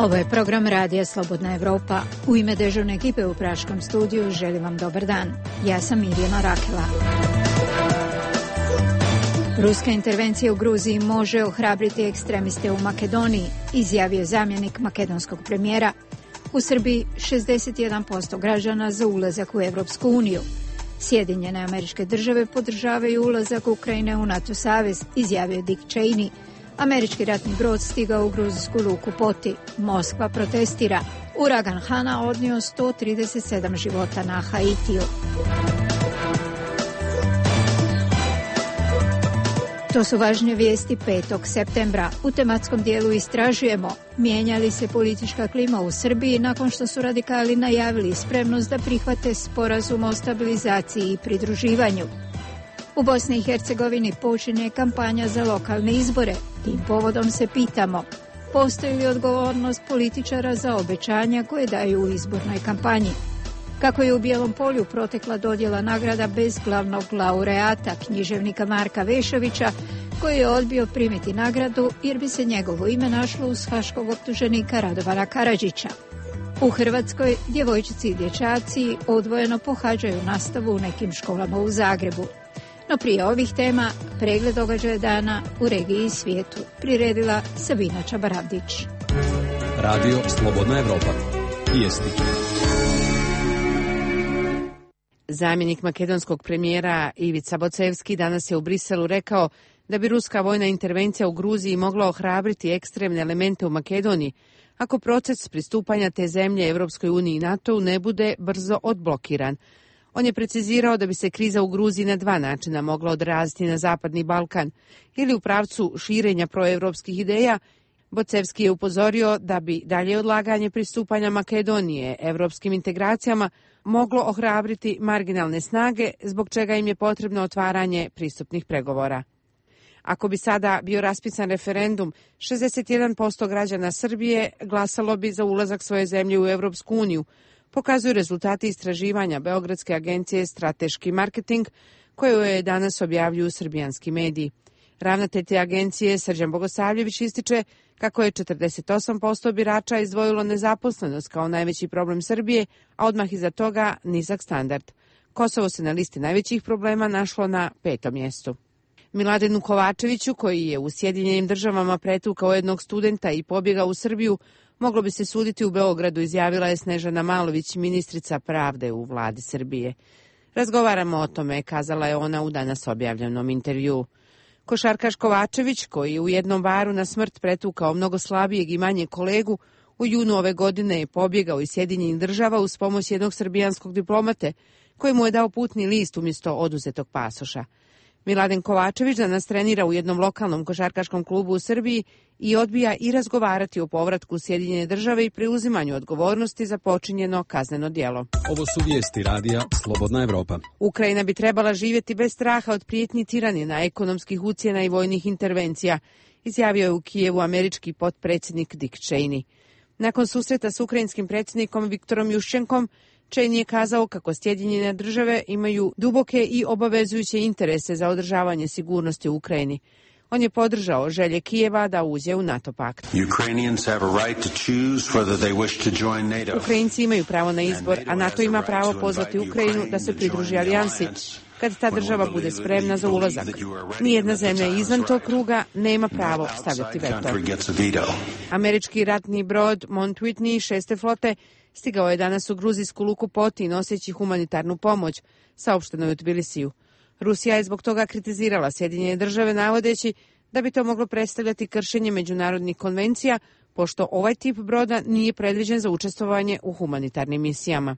Ovo je program Radija Slobodna Evropa. U ime dežurne ekipe u Praškom studiju želim vam dobar dan. Ja sam Mirjana Rakela. Ruska intervencija u Gruziji može ohrabriti ekstremiste u Makedoniji, izjavio zamjenik makedonskog premijera. U Srbiji 61% građana za ulazak u Evropsku uniju. Sjedinjene Američke Države podržavaju ulazak Ukrajine u NATO savez, izjavio Dick Cheney. Američki ratni brod stigao u gruzijsku luku Poti. Moskva protestira. Uragan Hana odnio 137 života na Haitiju. To su važne vijesti 5. septembra. U tematskom dijelu istražujemo mijenja li se politička klima u Srbiji nakon što su radikali najavili spremnost da prihvate sporazum o stabilizaciji i pridruživanju. U Bosni i Hercegovini počinje kampanja za lokalne izbore. Tim povodom se pitamo, postoji li odgovornost političara za obećanja koje daju u izbornoj kampanji? Kako je u Bijelom Polju protekla dodjela nagrada bez glavnog laureata, književnika Marka Vešovića, koji je odbio primiti nagradu jer bi se njegovo ime našlo uz haškog optuženika Radovana Karadžića. U Hrvatskoj djevojčici i dječaci odvojeno pohađaju nastavu u nekim školama u Zagrebu. No prije ovih tema, pregled događaja dana u regiji i svijetu, priredila Sabina Čabaravdić. Radio Slobodna Evropa. Vijesti. Zamjenik makedonskog premijera Ivica Bocevski danas je u Briselu rekao da bi ruska vojna intervencija u Gruziji mogla ohrabriti ekstremne elemente u Makedoniji ako proces pristupanja te zemlje Evropskoj uniji i NATO-u ne bude brzo odblokiran. On je precizirao da bi se kriza u Gruziji na dva načina mogla odraziti na Zapadni Balkan, ili u pravcu širenja proevropskih ideja. Bocevski je upozorio da bi dalje odlaganje pristupanja Makedonije evropskim integracijama moglo ohrabriti marginalne snage, zbog čega im je potrebno otvaranje pristupnih pregovora. Ako bi sada bio raspisan referendum, 61% građana Srbije glasalo bi za ulazak svoje zemlje u Evropsku uniju, pokazuju rezultati istraživanja Beogradske agencije Strateški marketing, koju je danas objavljuju srbijanski mediji. Ravnatelj te agencije Srđan Bogosavljević ističe kako je 48% birača izdvojilo nezaposlenost kao najveći problem Srbije, a odmah iza toga nizak standard. Kosovo se na listi najvećih problema našlo na 5. mjestu. Miladinu Kovačeviću, koji je u Sjedinjenim Državama pretukao jednog studenta i pobjegao u Srbiju, moglo bi se suditi u Beogradu, izjavila je Snežana Malović, ministrica pravde u vladi Srbije. Razgovaramo o tome, kazala je ona u danas objavljenom intervjuu. Košarkaš Kovačević, koji je u jednom baru na smrt pretukao mnogo slabijeg i manje kolegu, u junu ove godine je pobjegao iz Sjedinjenih Država uz pomoć jednog srbijanskog diplomate, koji mu je dao putni list umjesto oduzetog pasoša. Miladen Kovačević danas trenira u jednom lokalnom košarkaškom klubu u Srbiji i odbija i razgovarati o povratku u Sjedinjene Države i preuzimanju odgovornosti za počinjeno kazneno djelo. Ovo su vijesti radija Slobodna Evropa. Ukrajina bi trebala živjeti bez straha od prijetnji tiranina, ekonomskih ucjena i vojnih intervencija, izjavio je u Kijevu američki potpredsjednik Dick Cheney. Nakon susreta s ukrajinskim predsjednikom Viktorom Juščenkom, Cheney je kazao kako Sjedinjene Države imaju duboke i obavezujuće interese za održavanje sigurnosti u Ukrajini. On je podržao želje Kijeva da uđe u NATO pakt. Ukrajinci imaju pravo na izbor, a NATO ima pravo pozvati Ukrajinu da se pridruži alijansi kad ta država bude spremna za ulazak. Nijedna zemlja izvan tog kruga nema pravo stavljati veto. Američki ratni brod Mount Whitney 6. flote stigao je danas u gruzijsku luku Poti noseći humanitarnu pomoć, saopšteno je u Tbilisiju. Rusija je zbog toga kritizirala Sjedinjene Države navodeći da bi to moglo predstavljati kršenje međunarodnih konvencija, pošto ovaj tip broda nije predviđen za učestvovanje u humanitarnim misijama.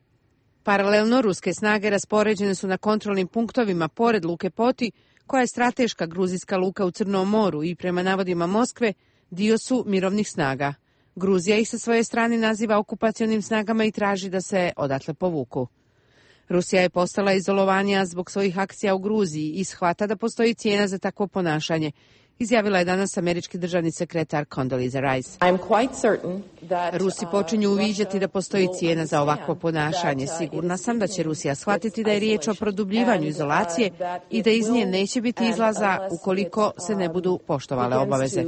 Paralelno, ruske snage raspoređene su na kontrolnim punktovima pored luke Poti, koja je strateška gruzijska luka u Crnom moru i prema navodima Moskve dio su mirovnih snaga. Gruzija ih sa svoje strane naziva okupacionim snagama i traži da se odatle povuku. Rusija je postala izolovanija zbog svojih akcija u Gruziji i shvata da postoji cijena za takvo ponašanje, izjavila je danas američki državni sekretar Condoleezza Rice. Rusi počinju uviđati da postoji cijena za ovakvo ponašanje. Sigurna sam da će Rusija shvatiti da je riječ o produbljivanju izolacije i da iz nje neće biti izlaza ukoliko se ne budu poštovale obaveze.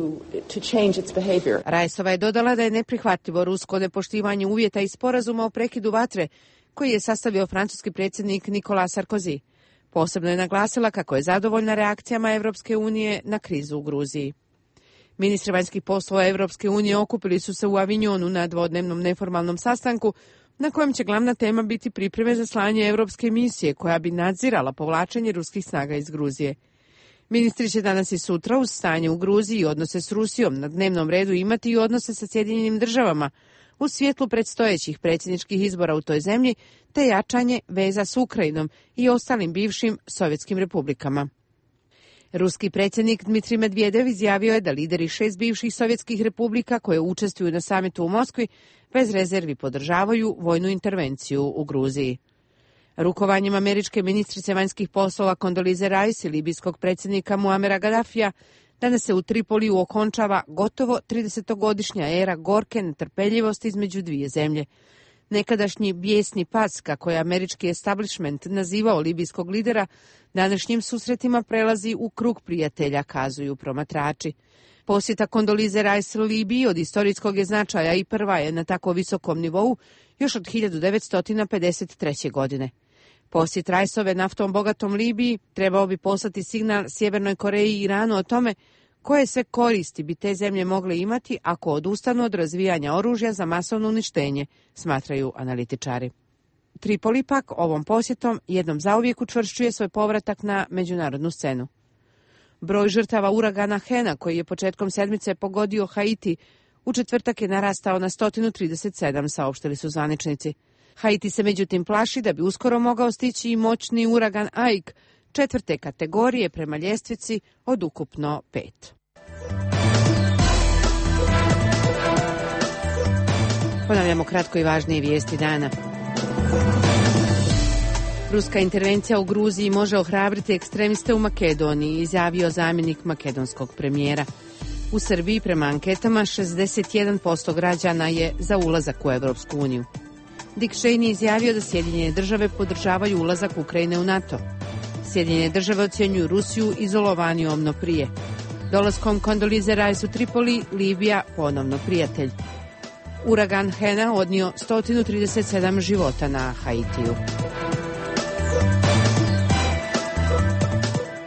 Riceova je dodala da je neprihvatljivo rusko nepoštivanje uvjeta i sporazuma o prekidu vatre koji je sastavio francuski predsjednik Nicolas Sarkozy. Posebno je naglasila kako je zadovoljna reakcijama Evropske unije na krizu u Gruziji. Ministri vanjskih poslova Evropske unije okupili su se u Avignonu na dvodnevnom neformalnom sastanku na kojem će glavna tema biti pripreme za slanje Evropske misije koja bi nadzirala povlačenje ruskih snaga iz Gruzije. Ministri će danas i sutra uz stanje u Gruziji i odnose s Rusijom na dnevnom redu imati i odnose sa Sjedinjenim državama u svjetlu predstojećih predsjedničkih izbora u toj zemlji te jačanje veza s Ukrajinom i ostalim bivšim sovjetskim republikama. Ruski predsjednik Dmitrij Medvedev izjavio je da lideri 6 bivših sovjetskih republika koje učestvuju na samitu u Moskvi bez rezervi podržavaju vojnu intervenciju u Gruziji. Rukovanjem američke ministrice vanjskih poslova Condoleezza Rice i libijskog predsjednika Muamera Gaddafija danas se u Tripoliju okončava gotovo 30-godišnja era gorke netrpeljivosti između dvije zemlje. Nekadašnji bijesni pas, kako je američki establishment nazivao libijskog lidera, današnjim susretima prelazi u krug prijatelja, kazuju promatrači. Posjeta Condoleezza Rice Libiji od istorijskog je značaja i prva je na tako visokom nivou još od 1953. godine. Posjet Riceove naftom bogatom Libiji trebao bi poslati signal Sjevernoj Koreji i Iranu o tome koje sve koristi bi te zemlje mogle imati ako odustanu od razvijanja oružja za masovno uništenje, smatraju analitičari. Tripoli pak ovom posjetom jednom zauvijek učvršćuje svoj povratak na međunarodnu scenu. Broj žrtava uragana Hena, koji je početkom sedmice pogodio Haiti, u četvrtak je narastao na 137, saopštili su zvaničnici. Haiti se međutim plaši da bi uskoro mogao stići i moćni uragan Ike, 4. kategorije prema ljestvici od ukupno 5. Ponavljamo kratko i važnije vijesti dana. Ruska intervencija u Gruziji može ohrabriti ekstremiste u Makedoniji, izjavio zamjenik makedonskog premijera. U Srbiji prema anketama 61% građana je za ulazak u Evropsku uniju. Dick Cheney izjavio da Sjedinjene države podržavaju ulazak Ukrajine u NATO. Sjedinjene države ocjenjuju Rusiju izolovanijom no prije. Dolaskom Condoleezza Rice u Tripoli, Libija ponovno prijatelj. Uragan Hena odnio 137 života na Haitiju.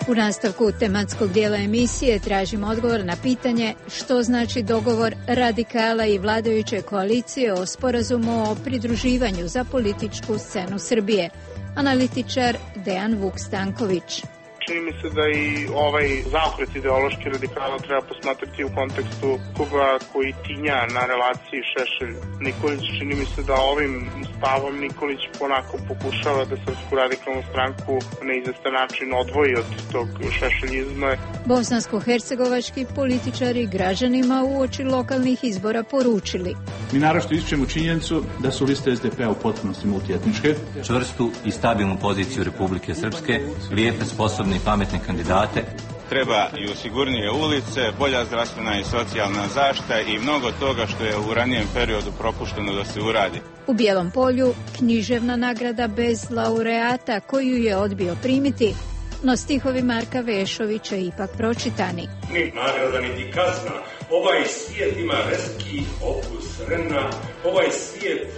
U nastavku tematskog dijela emisije tražimo odgovor na pitanje što znači dogovor radikala i vladajuće koalicije o sporazumu o pridruživanju za političku scenu Srbije. Analitičar Dejan Vuk-Stanković. Čini mi se da i ovaj zaokret ideološki radikala treba posmatrati u kontekstu koga koji tinja na relaciji Šešelj-Nikolić. Čini mi se da ovim stavom Nikolić ponako pokušava da Srpsku radikalnu stranku na izvestan način odvoji od tog šešeljizma. Bosansko-hercegovački političari građanima uoči lokalnih izbora poručili. Mi naročito ističemo činjenicu da su liste SDP-a u potpunosti multietničke. Čvrstu i stabilnu poziciju Republike Srpske, lijepe, sposobne i pametne kandidate. Treba i sigurnije ulice, bolja zdravstvena i socijalna zaštita i mnogo toga što je u ranijem periodu propušteno da se uradi. U Bijelom Polju književna nagrada bez laureata koju je odbio primiti, no stihovi Marka Vešovića ipak pročitani. Ni nagrada niti kazna, ovaj svijet ima reski okus rena, ovaj svijet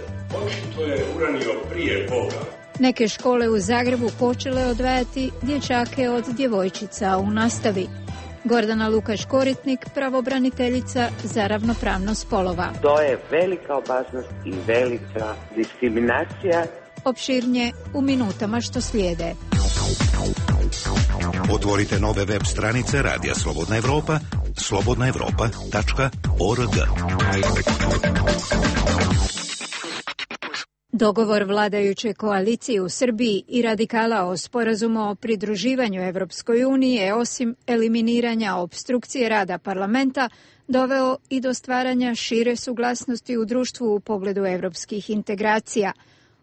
očito je uranio prije Boga. Neke škole u Zagrebu počele odvajati dječake od djevojčica u nastavi. Gordana Lukaš-Koritnik, pravobraniteljica za ravnopravnost spolova. To je velika opasnost i velika diskriminacija. Opširnije u minutama što slijede. Otvorite nove web stranice Radija Slobodna Evropa, slobodnaevropa.org. Dogovor vladajuće koalicije u Srbiji i radikala o sporazumu o pridruživanju Evropskoj uniji je osim eliminiranja opstrukcije rada parlamenta doveo i do stvaranja šire suglasnosti u društvu u pogledu evropskih integracija.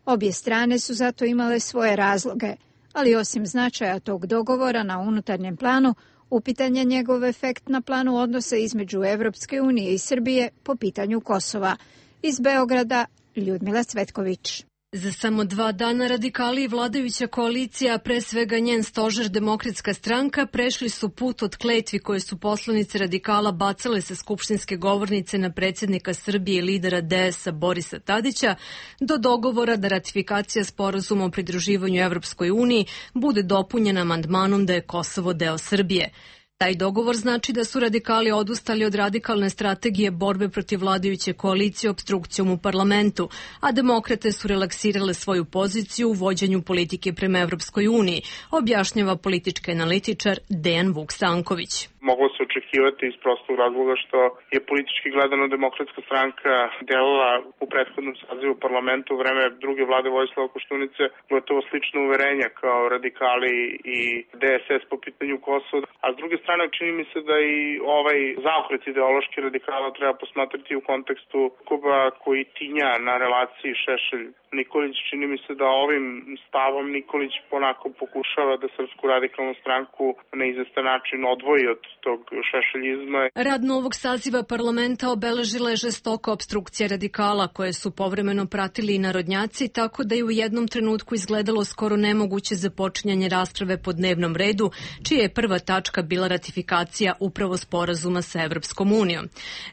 Obje strane su zato imale svoje razloge, ali osim značaja tog dogovora na unutarnjem planu, Upitan je njegov efekt na planu odnosa između Evropske unije i Srbije po pitanju Kosova. Iz Beograda, Ljudmila Cvetković. Za samo 2 dana radikali i vladajuća koalicija, pre svega njen stožer Demokratska stranka, prešli su put od kletvi koje su poslanice radikala bacale sa skupštinske govornice na predsjednika Srbije i lidera DS-a Borisa Tadića, do dogovora da ratifikacija sporazuma o pridruživanju Evropskoj uniji bude dopunjena amandmanom da je Kosovo deo Srbije. Taj dogovor znači da su radikali odustali od radikalne strategije borbe protiv vladajuće koalicije opstrukcijom u parlamentu, a demokrate su relaksirale svoju poziciju u vođenju politike prema Evropskoj uniji, objašnjava politički analitičar Dejan Vuk-Stanković. Moglo se očekivati iz prostog razloga što je politički gledano Demokratska stranka delala u prethodnom sazivu parlamentu u vreme druge vlade Vojislava Koštunice gotovo slično uverenja kao radikali i DSS po pitanju Kosova. A s druge strane čini mi se da i ovaj zaokret ideološki radikala treba posmatrati u kontekstu sukoba koji tinja na relaciji Šešelj-Nikolić. Čini mi se da ovim stavom Nikolić ponako pokušava da Srpsku radikalnu stranku na izvestan način odvoji od tog šešeljizma. Rad novog saziva parlamenta obeležila je žestoka opstrukcija radikala koje su povremeno pratili i narodnjaci, tako da je u jednom trenutku izgledalo skoro nemoguće započinjanje rasprave po dnevnom redu, čija je prva tačka bila ratifikacija upravo sporazuma sa Evropskom unijom.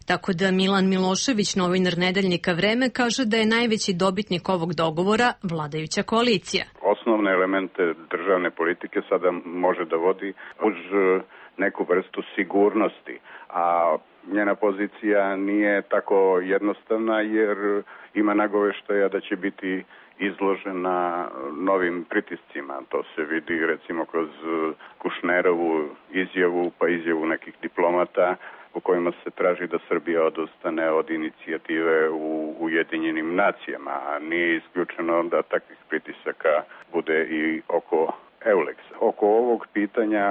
Tako da Milan Milošević, novinar nedeljnika Vreme, kaže da je najveći dobitnik ovog dogovora vladajuća koalicija. Osnovne elemente državne politike sada može da vodi uz neku vrstu sigurnosti, a njena pozicija nije tako jednostavna jer ima nagoveštaja da će biti izložena novim pritiscima. To se vidi recimo kroz Kušnerovu izjavu pa izjavu nekih diplomata u kojima se traži da Srbija odustane od inicijative u Ujedinjenim nacijama, a nije isključeno da takvih pritisaka bude i oko Euleksa. Oko ovog pitanja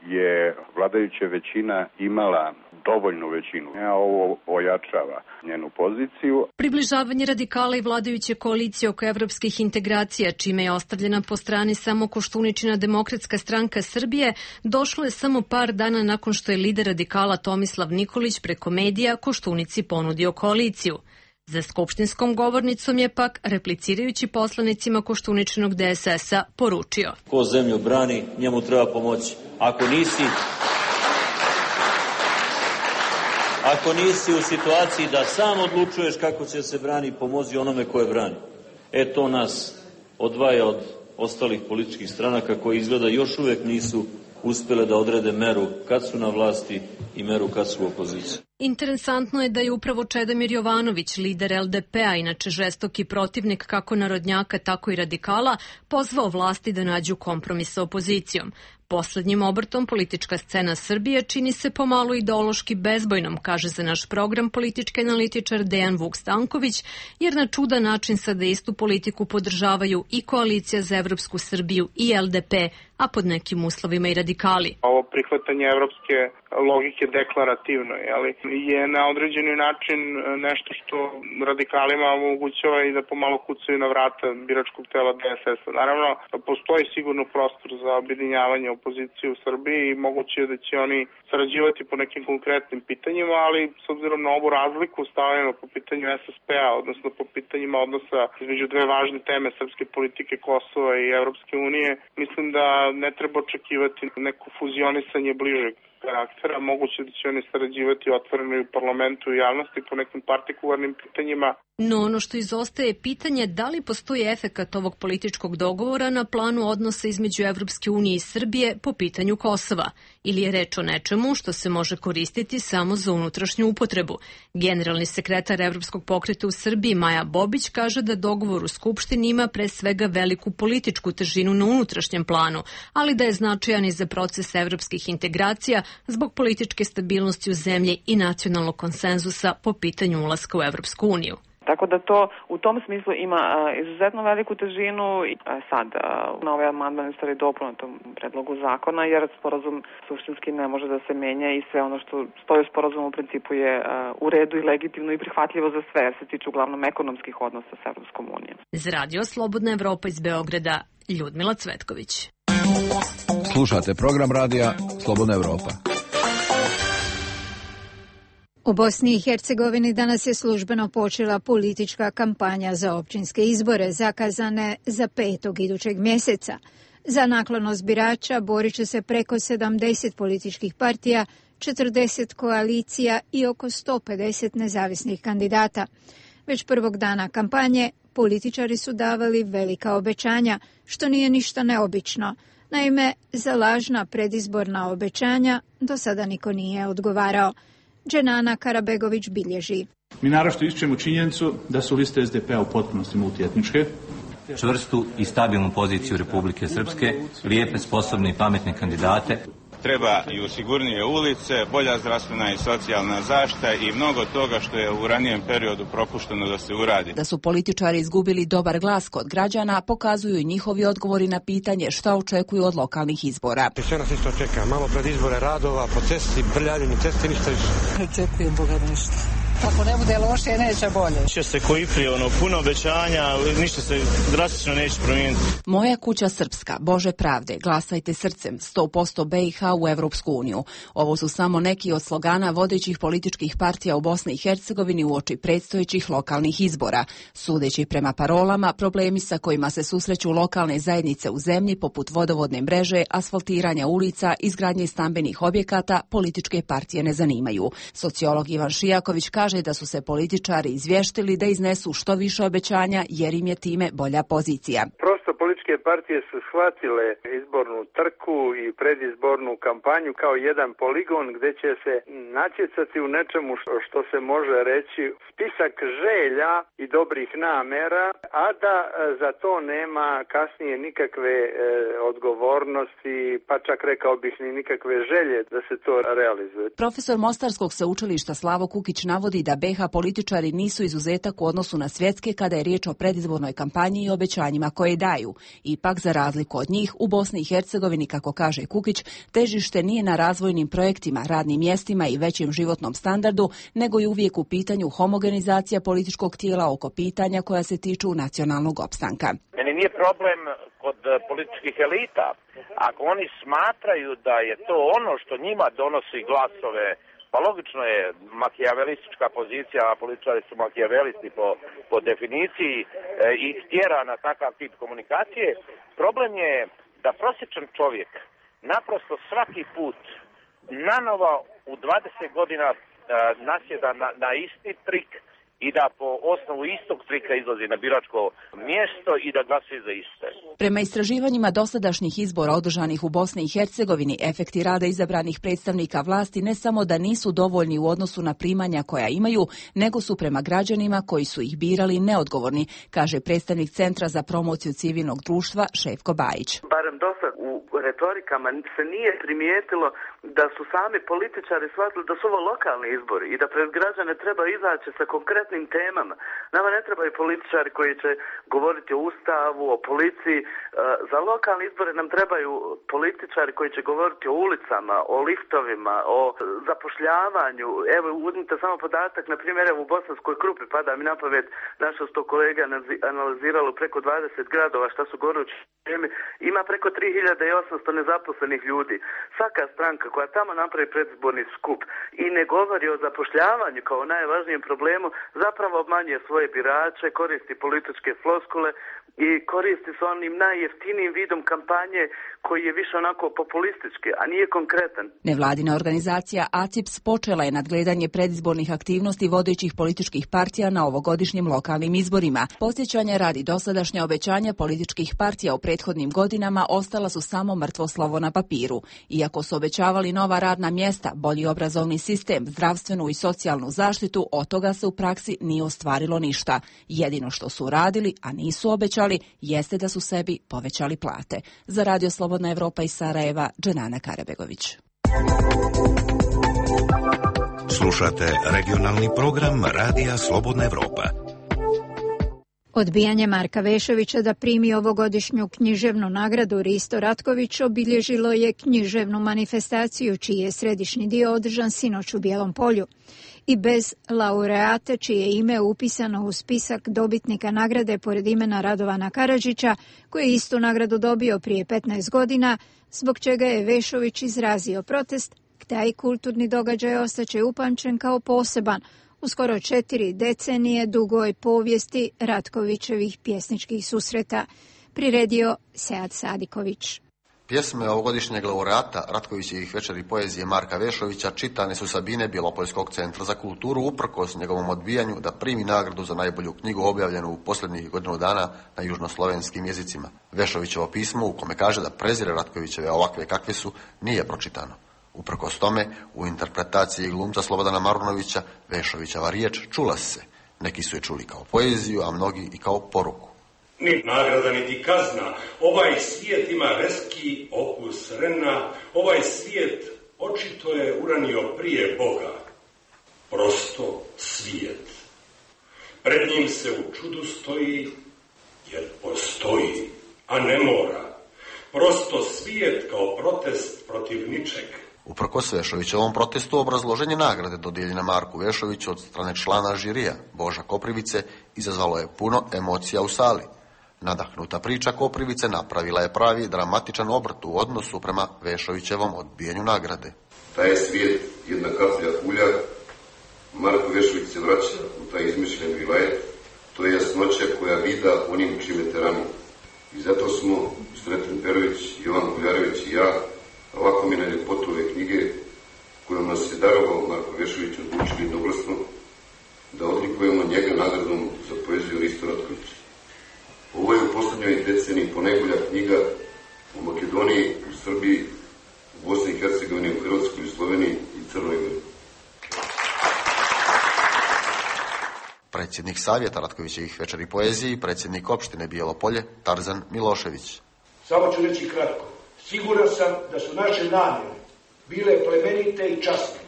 je vladajuća većina imala dovoljnu većinu. Ovo ojačava njenu poziciju. Približavanje radikala i vladajuće koalicije oko evropskih integracija, čime je ostavljena po strani samo Koštuničina Demokratska stranka Srbije, došlo je samo par dana nakon što je lider radikala Tomislav Nikolić preko medija Koštunici ponudio koaliciju. Za skupštinskom govornicom je pak, replicirajući poslanicima Koštuničinog DSS-a, poručio: ko zemlju brani, njemu treba pomoći. Ako nisi u situaciji da sam odlučuješ kako će se brani, pomozi onome koje brani. To nas odvaja od ostalih političkih stranaka koji izgleda još uvek nisu uspjele da odrede meru kad su na vlasti i meru kad su u opoziciji. Interesantno je da je upravo Čedomir Jovanović, lider LDP-a, inače žestoki protivnik kako narodnjaka, tako i radikala, pozvao vlasti da nađu kompromis sa opozicijom. Poslednjim obrtom politička scena Srbije čini se pomalo ideološki bezbojnom, kaže za naš program politički analitičar Dejan Vuk-Stanković, jer na čudan način sada istu politiku podržavaju i Koalicija za evropsku Srbiju i LDP, a pod nekim uslovima i radikali. Ovo prihvatanje evropske logike deklarativno je na određeni način nešto što radikalima omogućava i da pomalo kucaju na vrata biračkog tela DSS-a. Naravno, postoji sigurno prostor za objedinjavanje opozicije u Srbiji i moguće je da će oni sarađivati po nekim konkretnim pitanjima, ali s obzirom na ovu razliku stavljeno po pitanju SSP-a, odnosno po pitanjima odnosa između dve važne teme srpske politike Kosova i Evropske unije, mislim da ne treba očekivati neko fuzionisanje bližeg karaktera. Moguće da će oni sarađivati otvoreno i u parlamentu i javnosti po nekim partikularnim pitanjima. No ono što izostaje je pitanje da li postoji efekat ovog političkog dogovora na planu odnosa između Evropske unije i Srbije po pitanju Kosova, ili je reč o nečemu što se može koristiti samo za unutrašnju upotrebu. Generalni sekretar Evropskog pokreta u Srbiji Maja Bobić kaže da dogovor u Skupštini ima pre svega veliku političku težinu na unutrašnjem planu, ali da je značajan i za proces evropskih integracija zbog političke stabilnosti u zemlji i nacionalnog konsenzusa po pitanju ulaska u Evropsku uniju. Tako da to u tom smislu ima izuzetno veliku težinu i sad na ovaj amandman stvari dopuna tom predlogu zakona, jer sporazum suštinski ne može da se menja i sve ono što stoji u sporazumu u principu je u redu i legitimno i prihvatljivo za sve, jer se tiče uglavnom ekonomskih odnosa s Evropskom unijom. Za Radio Slobodna Evropa iz Beograda, Ljudmila Cvetković. Slušate program radija Slobodna Evropa. U Bosni i Hercegovini danas je službeno počela politička kampanja za općinske izbore zakazane za 5. idućeg mjeseca. Za naklonost birača borit će se preko 70 političkih partija, 40 koalicija i oko 150 nezavisnih kandidata. Već prvog dana kampanje političari su davali velika obećanja, što nije ništa neobično. Naime, za lažna predizborna obećanja do sada niko nije odgovarao. Dženana Karabegović bilježi. Mi naročito ističemo činjenicu da su liste SDP-a u potpunosti multietničke. Čvrstu i stabilnu poziciju Republike Srpske, lijepe, sposobne i pametne kandidate. Treba i sigurnije ulice, bolja zdravstvena i socijalna zaštita i mnogo toga što je u ranijem periodu propušteno da se uradi. Da su političari izgubili dobar glas kod građana, pokazuju i njihovi odgovori na pitanje šta očekuju od lokalnih izbora. Sve nas isto čeka, malo pred izbore radova, po cesti, brljavljenje cesti, ništa više. Očekujem Boga ništa. Ako ne bude loše, neće bolje. Će se koji prije, puno obećanja, ništa se drastično neće promijeniti. Moja kuća srpska, Bože pravde, glasajte srcem, 100% BiH u Evropsku uniju. Ovo su samo neki od slogana vodećih političkih partija u Bosni i Hercegovini uoči predstojećih lokalnih izbora. Sudeći prema parolama, problemi sa kojima se susreću lokalne zajednice u zemlji, poput vodovodne mreže, asfaltiranja ulica, izgradnje stambenih objekata, političke partije ne zanimaju. Sociolog Ivan Šijaković kaže da su se političari izvještili da iznesu što više obećanja jer im je time bolja pozicija. Prosto političke partije su shvatile izbornu trku i predizbornu kampanju kao jedan poligon gdje će se natjecati u nečemu što se može reći spisak želja i dobrih namjera, a da za to nema kasnije nikakve odgovornosti, pa čak rekao bih ni nikakve želje da se to realizuje. Profesor Mostarskog sveučilišta Slavo Kukić navodi da BiH političari nisu izuzetak u odnosu na svjetske kada je riječ o predizbornoj kampanji i obećanjima koje daju. Ipak, za razliku od njih, u Bosni i Hercegovini, kako kaže Kukić, težište nije na razvojnim projektima, radnim mjestima i većem životnom standardu, nego je uvijek u pitanju homogenizacija političkog tijela oko pitanja koja se tiču nacionalnog opstanka. Meni nije problem kod političkih elita. Ako oni smatraju da je to ono što njima donosi glasove, pa logično je makijavelistička pozicija, a političari su makijavelisti po definiciji, i tjera na takav tip komunikacije. Problem je da prosječan čovjek naprosto svaki put nanovo u 20 godina nasjeda na isti trik i da po osnovu istog trika izlazi na biračko mjesto i da glasuje za iste. Prema istraživanjima dosadašnjih izbora održanih u Bosni i Hercegovini, efekti rada izabranih predstavnika vlasti ne samo da nisu dovoljni u odnosu na primanja koja imaju, nego su prema građanima koji su ih birali neodgovorni, kaže predstavnik Centra za promociju civilnog društva Šefko Bajić. Barem dosad u retorikama se nije primijetilo da su sami političari shvatili da su ovo lokalni izbori i da pred građane treba izaći sa konkretnim temama. Nama ne trebaju političari koji će govoriti o Ustavu, o policiji. Za lokalne izbore nam trebaju političari koji će govoriti o ulicama, o liftovima, o zapošljavanju. Evo, uzmite samo podatak, na primjer, u Bosanskoj Krupi, pada mi na pamet, naša sto kolega analiziralo preko 20 gradova šta su gorući teme, ima preko 3800 nezaposlenih ljudi. Svaka stranka koja tamo napravi predizborni skup i ne govori o zapošljavanju kao najvažnijem problemu, zapravo obmanjuje svoje birače, koristi političke floskule i koristi se onim najjeftinijim vidom kampanje koji je više onako populistički, a nije konkretan. Nevladina organizacija ACIPS počela je nadgledanje predizbornih aktivnosti vodećih političkih partija na ovogodišnjim lokalnim izborima. Podsjećanja radi dosadašnja obećanja političkih partija u prethodnim godinama ostala su samo mrtvo slovo na papiru. Iako su obećavali nova radna mjesta, bolji obrazovni sistem, zdravstvenu i socijalnu zaštitu, od toga se u praksi nije ostvarilo ništa. Jedino što su radili, a nisu obećali, jeste da su sebi povećali plate. Za Radio Slobodna Evropa iz Sarajeva, Dženana Karabegović. Slušate regionalni program Radija Slobodna Evropa. Odbijanje Marka Vešovića da primi ovogodišnju književnu nagradu Risto Ratković obilježilo je književnu manifestaciju čiji je središnji dio održan sinoć u Bijelom Polju. I bez laureata čije je ime upisano u spisak dobitnika nagrade pored imena Radovana Karadžića, koji je istu nagradu dobio prije 15 godina, zbog čega je Vešović izrazio protest, taj kulturni događaj ostaće upamćen kao poseban u skoro 4 decenije dugoj povijesti Ratkovićevih pjesničkih susreta, priredio Sead Sadiković. Pjesme ovogodišnjeg laureata Ratkovićevih večeri poezije Marka Vešovića čitane su sa bine Bjelopoljskog centra za kulturu uprkos njegovom odbijanju da primi nagradu za najbolju knjigu objavljenu u posljednjih godinu dana na južnoslovenskim jezicima. Vešovićevo pismo u kome kaže da prezire Ratkovićeve ovakve kakve su nije pročitano. Uprkos tome, u interpretaciji glumca Slobodana Marunovića, Vešovićeva riječ čula se. Neki su je čuli kao poeziju, a mnogi i kao poruku. Ni nagrada, niti kazna. Ovaj svijet ima reski okus rena. Ovaj svijet očito je uranio prije Boga. Prosto svijet. Pred njim se u čudu stoji, jer postoji, a ne mora. Prosto svijet kao protest protiv ničeg. Uprkos Vešovićevom protestu obrazloženje nagrade dodijeljene Marku Vešoviću od strane člana žirija Boža Koprivice izazvalo je puno emocija u sali. Nadahnuta priča Koprivice napravila je pravi dramatičan obrt u odnosu prema Vešovićevom odbijanju nagrade. Taj je svijet jedna kaplja ulja. Marko Vešović se vraća u taj izmišljen vilajet. To je jasnoća koja vida onim čime te rani. I zato smo, Sreten Perović, Jovan Kuljarević i ja, ovako mi na ljepotu ove knjige kojom nas je darovao Marko Vešović odlučili jednoglasno da odlikujemo njega nagradom za poeziju Risto Ratković. Ovo je u posljednjoj deceniji ponajbolja knjiga u Makedoniji, u Srbiji, u Bosni i Hercegovini, u Hrvatskoj, u Sloveniji i Crnoj Gori. Predsjednik Savjeta Ratkovićevih večeri poezije i predsjednik opštine Bijelo Polje, Tarzan Milošević. Samo ću reći kratko. Siguran sam da su naše namjere bile plemenite i časne,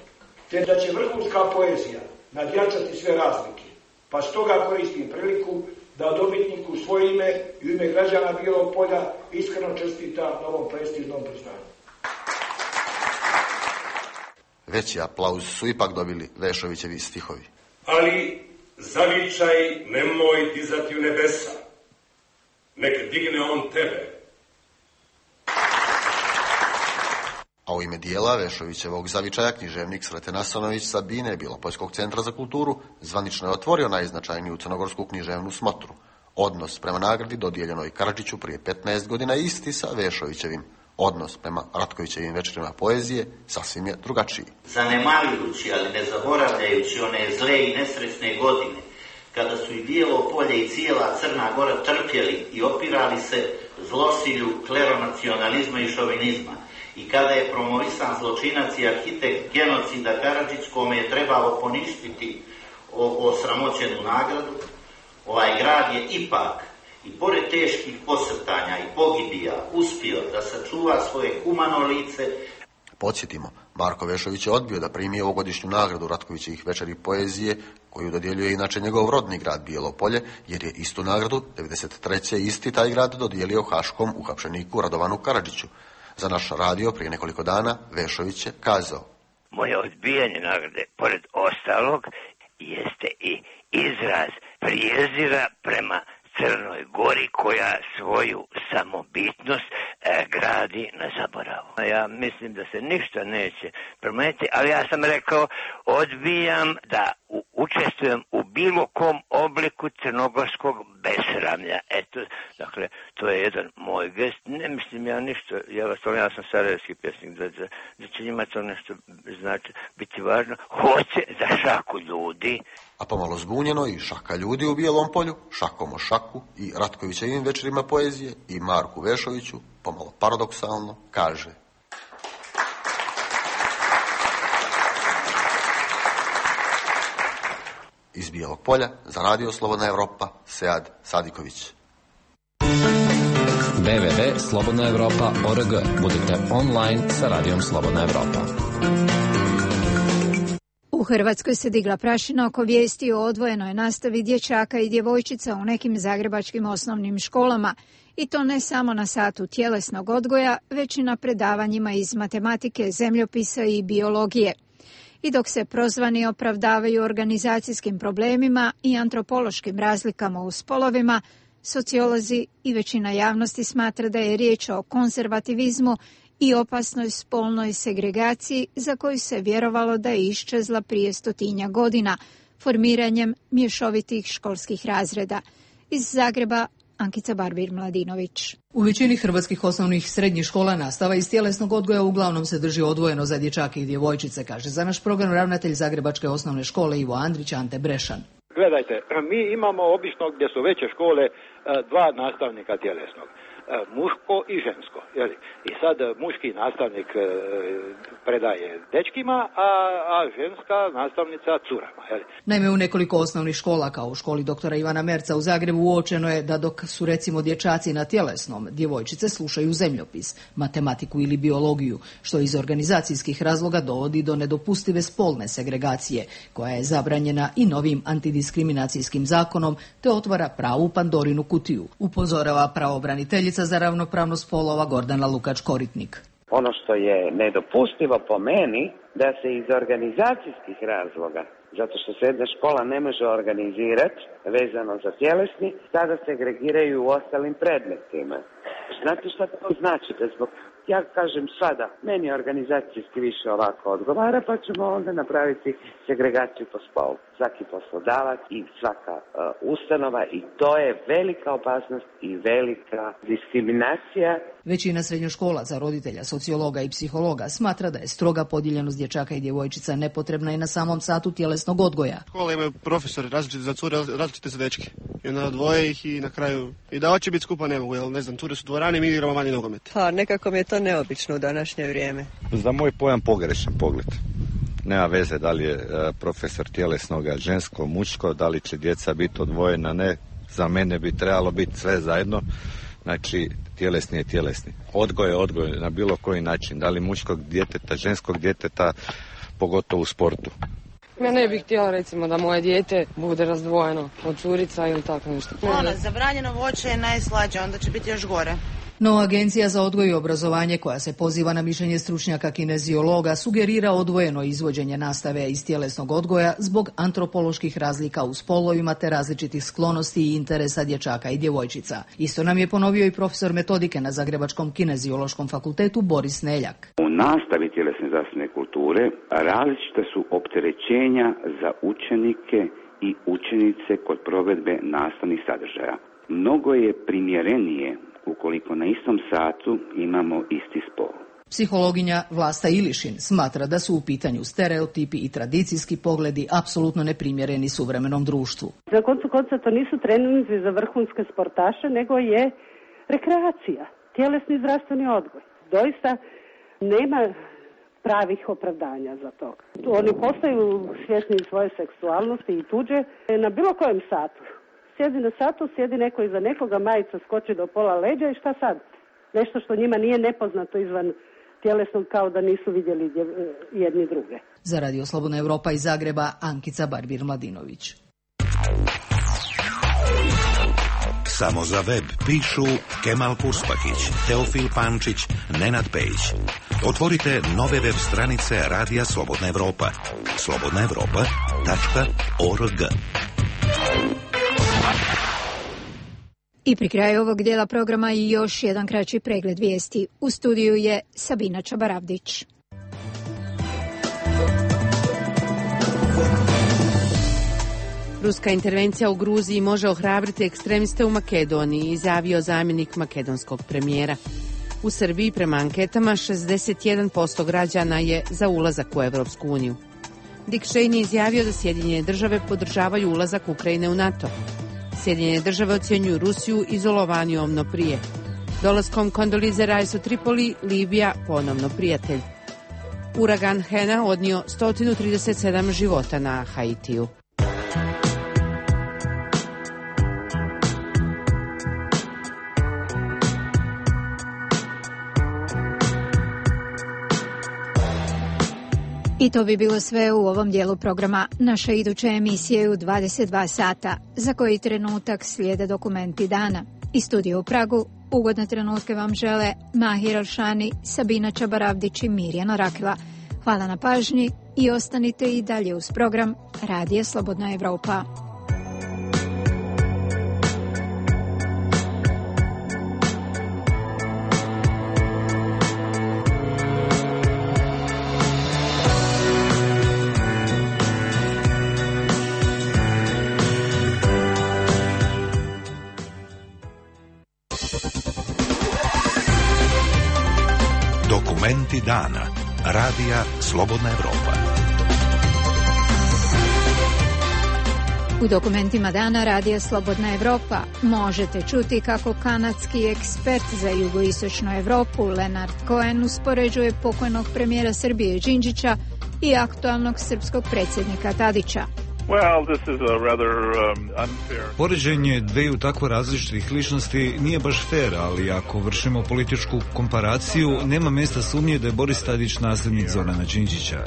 te da će vrhunska poezija nadjačati sve razlike. Pa stoga koristim priliku da dobitniku u svoje ime i u ime građana Bijelog Polja iskreno čestitam na ovom prestižnom priznanju. Veći aplauz su ipak dobili Vešovićevi stihovi. Ali zavičaj nemoj dizati u nebesa, nek digne on tebe. A u ime dijela Vešovićevog zavičaja književnik Sreten Asanović sa bine Bjelopoljskog centra za kulturu zvanično je otvorio najznačajniju crnogorsku književnu smotru. Odnos prema nagradi dodijeljenoj Karadžiću prije 15 godina isti sa Vešovićevim. Odnos prema Ratkovićevim večerima poezije sasvim je drugačiji. Zanemarujući, ali ne zaboravljajući one zle i nesretne godine, kada su i Bijelo Polje i cijela Crna Gora trpjeli i opirali se zlosilju kleronacionalizma i šovinizma, i kada je promovisan zločinac i arhitekt genocida Karadžić, kome je trebalo poništiti osramoćenu nagradu, ovaj grad je ipak, i pored teških posrtanja i pogibija, uspio da sačuva svoje humano lice. Podsjetimo, Marko Vešović je odbio da primi ovogodišnju nagradu Ratkovićevih večeri poezije, koju dodjeljuje inače njegov rodni grad Bijelo Polje, jer je istu nagradu 1993. isti taj grad dodijelio haškom uhapšeniku Radovanu Karadžiću. Za naš radio prije nekoliko dana Vešović je kazao: moje odbijanje nagrade, pored ostalog, jeste i izraz prijezira prema Crnoj Gori koja svoju samobitnost gradi na zaboravu. Ja mislim da se ništa neće promijeniti, ali ja sam rekao odbijam da učestvujem u bilo kom obliku crnogorskog besramlja. Eto, dakle, to je jedan moj gest. Ne mislim ja ništa, ja sam sarajevski pjesnik, da će njima to nešto znači biti važno. Hoće za šaku ljudi. A pomalo zbunjeno i šaka ljudi u Bijelom Polju, šakom o šaku i Ratkovićevim večerima poezije i Marku Vešoviću, pomalo paradoksalno, kaže: iz Bijelog Polja za Radio Slobodna Evropa, Sead Sadiković. www.slobodnaevropa.org. Budite online sa Radijom Slobodna Evropa. U U Hrvatskoj se digla prašina oko vijesti o odvojenoj nastavi dječaka i djevojčica u nekim zagrebačkim osnovnim školama, i to ne samo na satu tjelesnog odgoja, već i na predavanjima iz matematike, zemljopisa i biologije. I dok se prozvani opravdavaju organizacijskim problemima i antropološkim razlikama u spolovima, sociolozi i većina javnosti smatra da je riječ o konzervativizmu i opasnoj spolnoj segregaciji za koju se vjerovalo da je iščezla prije 100 godina formiranjem mješovitih školskih razreda. Iz Zagreba, Ankica Barbir-Mladinović. U većini hrvatskih osnovnih i srednjih škola nastava iz tjelesnog odgoja uglavnom se drži odvojeno za dječake i djevojčice, kaže za naš program ravnatelj Zagrebačke osnovne škole Ivo Andrić, Ante Brešan. Gledajte, mi imamo obično gdje su veće škole dva nastavnika tjelesnog. Muško i žensko. Jeli? I sad muški nastavnik predaje dečkima, a ženska nastavnica curama. Jeli? Naime, u nekoliko osnovnih škola, kao u školi doktora Ivana Merca u Zagrebu, uočeno je da dok su recimo dječaci na tjelesnom, djevojčice slušaju zemljopis, matematiku ili biologiju, što iz organizacijskih razloga dovodi do nedopustive spolne segregacije, koja je zabranjena i novim antidiskriminacijskim zakonom, te otvara pravu Pandorinu kutiju, upozorava pravobraniteljica za ravnopravnost spolova Gordana Lukač-Koritnik. Ono što je nedopustivo po meni, da se iz organizacijskih razloga, zato što se jedna škola ne može organizirati vezano za tjelesni, tada segregiraju u ostalim predmetima. Znate što to znači? Da zbog, ja kažem sada, meni organizacijski više ovako odgovara, pa ćemo onda napraviti segregaciju po spolu. Svaki poslodavac i svaka ustanova, i to je velika opasnost i velika diskriminacija. Većina srednjoškolaca, roditelja, sociologa i psihologa smatra da je stroga podijeljenost dječaka i djevojčica nepotrebna i na samom satu tjelesnog odgoja. Škola imaju profesori različite za cure, različite za dečke. I onda odvoje ih i na kraju i da hoće biti skupa ne mogu, jer ne znam, cure su dvorani, mi igramo manje nogomet. Pa nekako mi je to neobično u današnje vrijeme. Za moj pojam pogrešan pogled. Nema veze da li je profesor tjelesnoga žensko, muško, da li će djeca biti odvojena, ne. Za mene bi trebalo biti sve zajedno. Znači, tjelesni je tjelesni. Odgoj je odgoj na bilo koji način. Da li muškog djeteta, ženskog djeteta, pogotovo u sportu. Ja ne bih htjela recimo da moje dijete bude razdvojeno od curica ili tako nešto. Zabranjeno voće je najslađe, onda će biti još gore. No, Agencija za odgoj i obrazovanje, koja se poziva na mišljenje stručnjaka kineziologa, sugerira odvojeno izvođenje nastave iz tjelesnog odgoja zbog antropoloških razlika u spolovima te različitih sklonosti i interesa dječaka i djevojčica. Isto nam je ponovio i profesor metodike na Zagrebačkom kineziološkom fakultetu Boris Neljak. U nastavi tjelesne zdravstvene kulture različita su opterećenja za učenike i učenice kod provedbe nastavnih sadržaja. Mnogo je primjerenije ukoliko na istom satu imamo isti spol. Psihologinja Vlasta Ilišin smatra da su u pitanju stereotipi i tradicijski pogledi apsolutno neprimjereni suvremenom društvu. Za koncu konca to nisu treninzi za vrhunske sportaše, nego je rekreacija, tjelesni zdravstveni odgoj. Doista nema pravih opravdanja za to. Oni postaju svjesni svoje seksualnosti i tuđe na bilo kojem satu. Sjedi na satu, sjedi neko iza nekoga, majica skoči do pola leđa i šta sad? Nešto što njima nije nepoznato izvan tjelesnog, kao da nisu vidjeli jedni druge. Za Radio Slobodna Evropa iz Zagreba, Ankica Barbir-Mladinović. Samo za web pišu Kemal Purspahić, Teofil Pančić, Nenad Pejić. Otvorite nove web stranice Radija Slobodna Evropa. slobodnaevropa.org. I pri kraju ovog dijela programa i još jedan kraći pregled vijesti. U studiju je Sabina Čabaravdić. Ruska intervencija u Gruziji može ohrabriti ekstremiste u Makedoniji, izjavio zamjenik makedonskog premijera. U Srbiji prema anketama 61% građana je za ulazak u Evropsku uniju. Dick Cheney izjavio da Sjedinjene države podržavaju ulazak Ukrajine u NATO. Sjedinjene države ocjenjuju Rusiju izolovanijom no prije. Dolaskom Kondolize Rice u Tripoli, Libija ponovno prijatelj. Uragan Hena odnio 137 života na Haitiju. I to bi bilo sve u ovom dijelu programa. Naša iduća emisija je u 22 sata, za koji trenutak slijede dokumenti dana. Iz studija u Pragu ugodne trenutke vam žele Mahir Alšani, Sabina Čabaravdić i Mirjana Rakila. Hvala na pažnji i ostanite i dalje uz program Radija Slobodna Evropa. Dokumenti dana. Radija Slobodna Evropa. U dokumentima dana Radija Slobodna Evropa možete čuti kako kanadski ekspert za jugoistočnu Evropu Leonard Cohen uspoređuje pokojnog premijera Srbije Đinđića i aktualnog srpskog predsjednika Tadića. Poređenje dveju tako različitih ličnosti nije baš fair, ali ako vršimo političku komparaciju, nema mjesta sumnje da je Boris Tadić nasljednik Zorana Đinđića.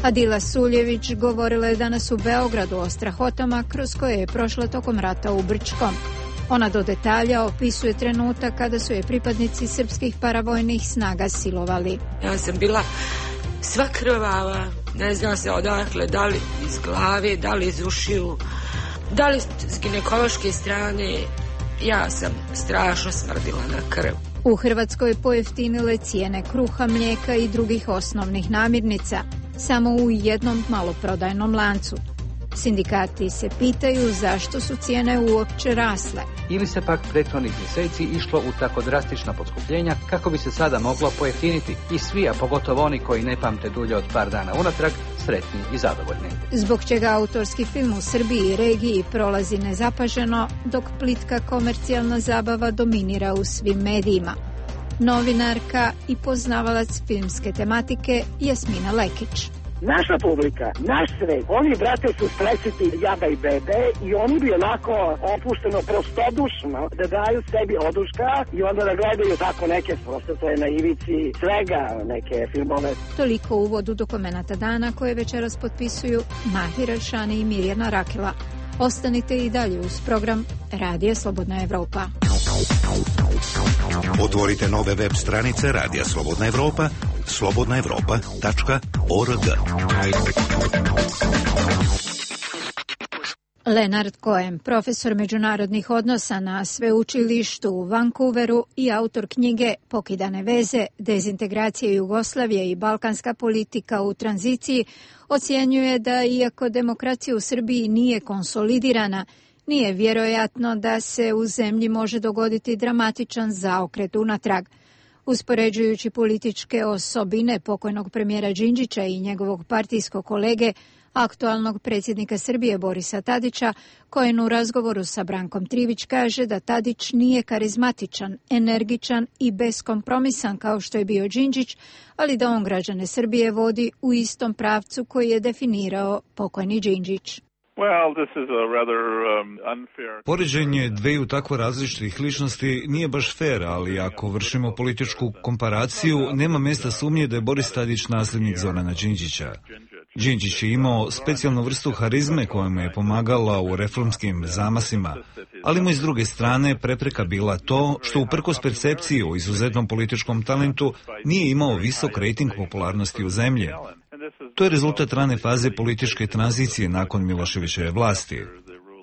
Adila Suljević govorila je danas u Beogradu o strahotama kroz koje je prošla tokom rata u Brčkom. Ona do detalja opisuje trenutak kada su je pripadnici srpskih paravojnih snaga silovali. Ja sam bila sva krvava, ne zna se odakle, da li iz glave, da li iz ušiju, da li s ginekološke strane. Ja sam strašno smrdila na krv. U Hrvatskoj pojeftinile cijene kruha, mlijeka i drugih osnovnih namirnica, samo u jednom maloprodajnom lancu. Sindikati se pitaju zašto su cijene uopće rasle. Ili se pak prethodnih mjeseci išlo u tako drastična poskupljenja kako bi se sada moglo pojeftiniti i svi, a pogotovo oni koji ne pamte dulje od par dana unatrag, sretni i zadovoljni. Zbog čega autorski film u Srbiji i regiji prolazi nezapaženo, dok plitka komercijalna zabava dominira u svim medijima. Novinarka i poznavalac filmske tematike Jasmina Lekić. Naša publika, naš svet, oni, brate, su stresiti jaba i bebe i oni bi onako opušteno prostodušno da daju sebi oduška i onda da gledaju tako neke, prosto to je na ivici svega, neke filmove. Toliko u uvodu dokumenata dana koje večeras potpisuju Mahir Alšani i Mirjana Rakila. Ostanite i dalje uz program Radija Slobodna Evropa. Otvorite nove web stranice Radija Slobodna Evropa, slobodnaevropa.org. Leonard Cohen, profesor međunarodnih odnosa na sveučilištu u Vancouveru i autor knjige Pokidane veze, dezintegracije Jugoslavije i balkanska politika u tranziciji, ocjenjuje da iako demokracija u Srbiji nije konsolidirana, nije vjerojatno da se u zemlji može dogoditi dramatičan zaokret unatrag. Uspoređujući političke osobine pokojnog premijera Đinđića i njegovog partijskog kolege, aktualnog predsjednika Srbije Borisa Tadića, Cohen u razgovoru sa Brankom Trivić kaže da Tadić nije karizmatičan, energičan i beskompromisan kao što je bio Đinđić, ali da on građane Srbije vodi u istom pravcu koji je definirao pokojni Đinđić. Poređenje dveju tako različitih ličnosti nije baš fair, ali ako vršimo političku komparaciju, nema mjesta sumnje da je Boris Tadić nasljednik Zorana Đinđića. Đinđić je imao specijalnu vrstu harizme koja mu je pomagala u reformskim zamasima, ali mu iz druge strane prepreka bila to što uprkos percepciji o izuzetnom političkom talentu nije imao visok rejting popularnosti u zemlji. To je rezultat rane faze političke tranzicije nakon Miloševićeve vlasti.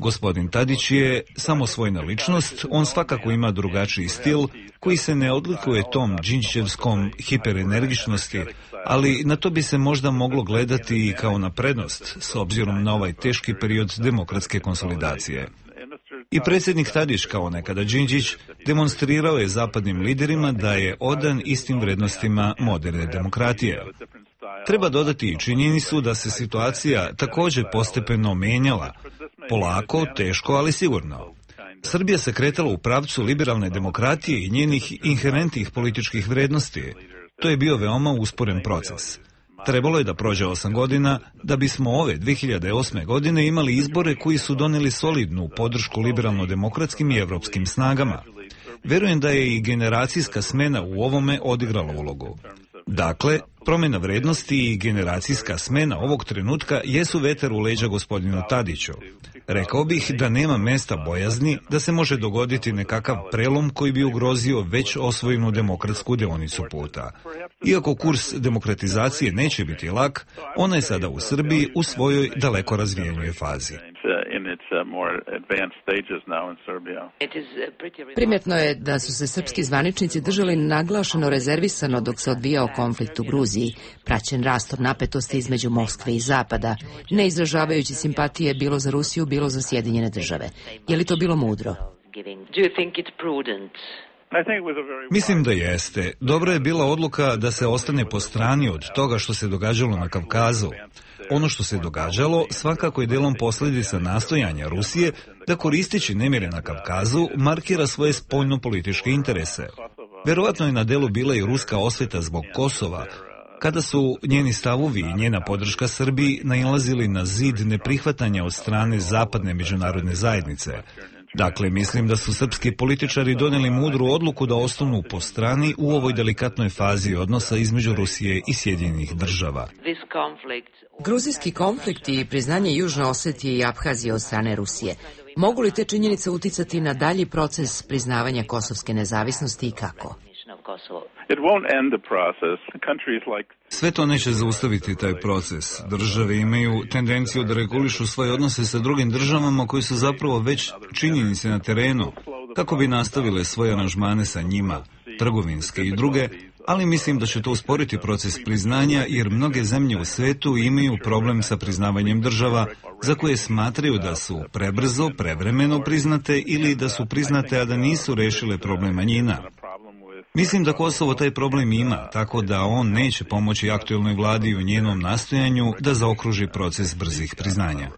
Gospodin Tadić je samosvojna ličnost, on svakako ima drugačiji stil koji se ne odlikuje tom đinđićevskom hiperenergičnosti, ali na to bi se možda moglo gledati i kao na prednost s obzirom na ovaj teški period demokratske konsolidacije. I predsjednik Tadić, kao nekada Đinđić, demonstrirao je zapadnim liderima da je odan istim vrednostima moderne demokratije. Treba dodati i činjenicu da se situacija također postepeno menjala. Polako, teško, ali sigurno. Srbija se kretala u pravcu liberalne demokratije i njenih inherentnih političkih vrednosti. To je bio veoma usporen proces. Trebalo je da prođe 8 godina da bismo ove 2008. godine imali izbore koji su doneli solidnu podršku liberalno-demokratskim i evropskim snagama. Verujem da je i generacijska smena u ovome odigrala ulogu. Dakle, promjena vrednosti i generacijska smjena ovog trenutka jesu vetar u leđa gospodinu Tadiću. Rekao bih da nema mjesta bojazni da se može dogoditi nekakav prelom koji bi ugrozio već osvojenu demokratsku deonicu puta. Iako kurs demokratizacije neće biti lak, ona je sada u Srbiji u svojoj daleko razvijenijoj fazi. Primjetno je da su se srpski zvaničnici držali naglašeno rezervisano dok se odvijao konflikt u Gruziji, praćen rastor napetosti između Moskve i Zapada, ne izražavajući simpatije bilo za Rusiju, bilo za Sjedinjene Države. Je li to bilo mudro? Mislim da jeste. Dobra je bila odluka da se ostane po strani od toga što se događalo na Kavkazu. Ono što se događalo svakako je delom posljedica nastojanja Rusije da koristeći nemire na Kavkazu markira svoje spoljno-političke interese. Verovatno je na delu bila i ruska osveta zbog Kosova, kada su njeni stavovi i njena podrška Srbiji nailazili na zid neprihvatanja od strane zapadne međunarodne zajednice. Dakle, mislim da su srpski političari donijeli mudru odluku da ostanu po strani u ovoj delikatnoj fazi odnosa između Rusije i Sjedinjenih Država. Gruzijski konflikt i priznanje Južne Osetije i Aphazije od strane Rusije. Mogu li te činjenice uticati na dalji proces priznavanja kosovske nezavisnosti i kako? Sve to neće zaustaviti taj proces. Države imaju tendenciju da regulišu svoje odnose sa drugim državama koji su zapravo već činjenice na terenu, kako bi nastavile svoje aranžmane sa njima, trgovinske i druge, ali mislim da će to usporiti proces priznanja jer mnoge zemlje u svetu imaju problem sa priznavanjem država za koje smatraju da su prebrzo, prevremeno priznate ili da su priznate, a da nisu rešile problem manjina. Mislim da Kosovo taj problem ima, tako da on neće pomoći aktuelnoj vladi u njenom nastojanju da zaokruži proces brzih priznanja.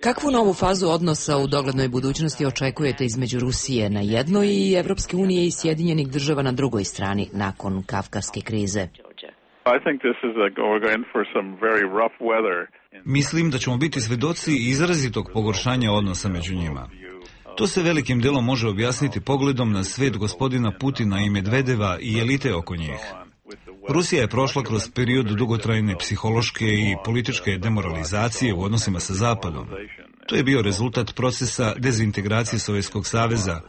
Kakvu novu fazu odnosa u doglednoj budućnosti očekujete između Rusije na jednoj i Evropske unije i Sjedinjenih Država na drugoj strani nakon kavkaske krize? Mislim da ćemo biti svedoci izrazitog pogoršanja odnosa među njima. To se velikim delom može objasniti pogledom na svet gospodina Putina i Medvedeva i elite oko njih. Rusija je prošla kroz period dugotrajne psihološke i političke demoralizacije u odnosima sa Zapadom. To je bio rezultat procesa dezintegracije Sovjetskog saveza.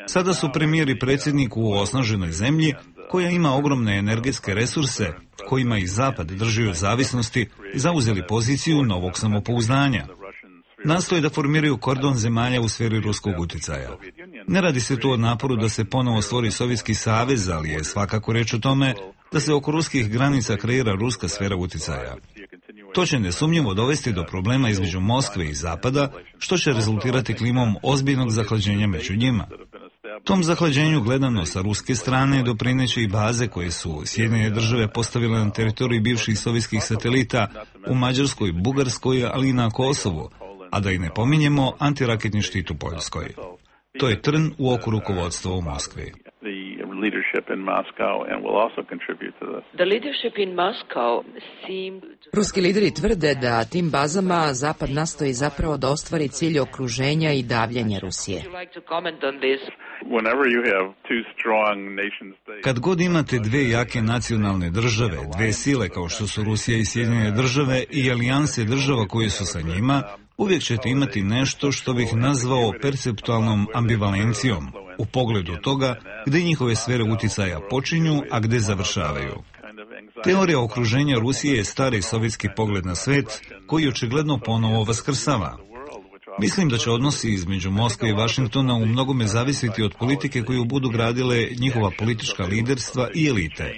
Sada su premijer i predsjednik u osnaženoj zemlji koja ima ogromne energetske resurse, kojima i Zapad drži od zavisnosti, zauzeli poziciju novog samopouzdanja. Nastoje da formiraju kordon zemalja u sferi ruskog uticaja. Ne radi se tu o naporu da se ponovo stvori Sovjetski savez, ali je svakako reč o tome da se oko ruskih granica kreira ruska sfera uticaja. To će nesumnjivo dovesti do problema između Moskve i Zapada, što će rezultirati klimom ozbiljnog zahlađenja među njima. Tom zahlađenju gledano sa ruske strane doprineće i baze koje su Sjedinjene Države postavile na teritoriji bivših sovjetskih satelita u Mađarskoj, Bugarskoj, ali i na Kosovu, a da i ne pominjemo antiraketni štit u Poljskoj. To je trn u oku rukovodstva u Moskvi. Ruski lideri tvrde da tim bazama Zapad nastoji zapravo da ostvari cilj okruženja i davljenja Rusije. Kad god imate dve jake nacionalne države, dve sile kao što su Rusija i Sjedinjene Države i alijanse država koje su sa njima, uvijek ćete imati nešto što bih nazvao perceptualnom ambivalencijom u pogledu toga gdje njihove sfere uticaja počinju, a gdje završavaju. Teorija okruženja Rusije je stari sovjetski pogled na svet koji očigledno ponovo vaskrsava. Mislim da će odnosi između Moskve i Vašingtona u mnogome zavisiti od politike koju budu gradile njihova politička liderstva i elite.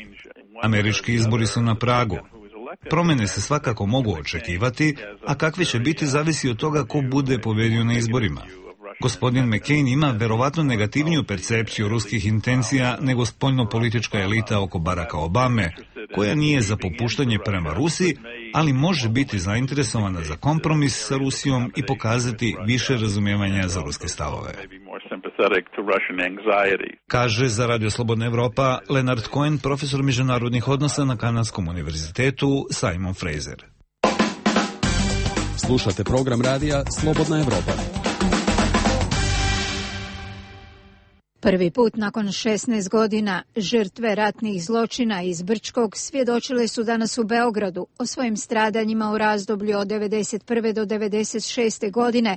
Američki izbori su na pragu. Promjene se svakako mogu očekivati, a kakve će biti zavisi od toga ko bude pobedio na izborima. Gospodin McCain ima verovatno negativniju percepciju ruskih intencija nego spoljno-politička elita oko Baracka Obame, koja nije za popuštanje prema Rusiji, ali može biti zainteresovana za kompromis sa Rusijom i pokazati više razumijevanja za ruske stavove. Kaže za Radio Slobodna Evropa Leonard Cohen, profesor međunarodnih odnosa na Kanadskom univerzitetu Simon Fraser. Slušate program radija Slobodna Evropa. Prvi put nakon 16 godina žrtve ratnih zločina iz Brčkog svjedočile su danas u Beogradu o svojim stradanjima u razdoblju od 1991. do 1996. godine,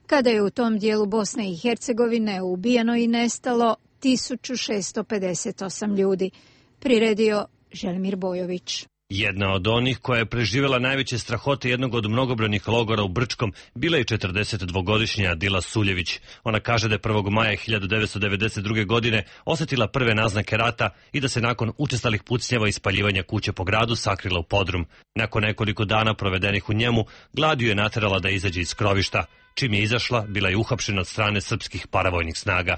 kada je u tom dijelu Bosne i Hercegovine ubijeno i nestalo 1658 ljudi. Priredio Želimir Bojović. Jedna od onih koja je preživjela najveće strahote jednog od mnogobrojnih logora u Brčkom bila je 42-godišnja Adila Suljević. Ona kaže da je 1. maja 1992. godine osjetila prve naznake rata i da se nakon učestalih pucnjeva i spaljivanja kuće po gradu sakrila u podrum. Nakon nekoliko dana provedenih u njemu, glad ju je naterala da izađe iz krovišta. Čim je izašla, bila je uhapšena od strane srpskih paravojnih snaga.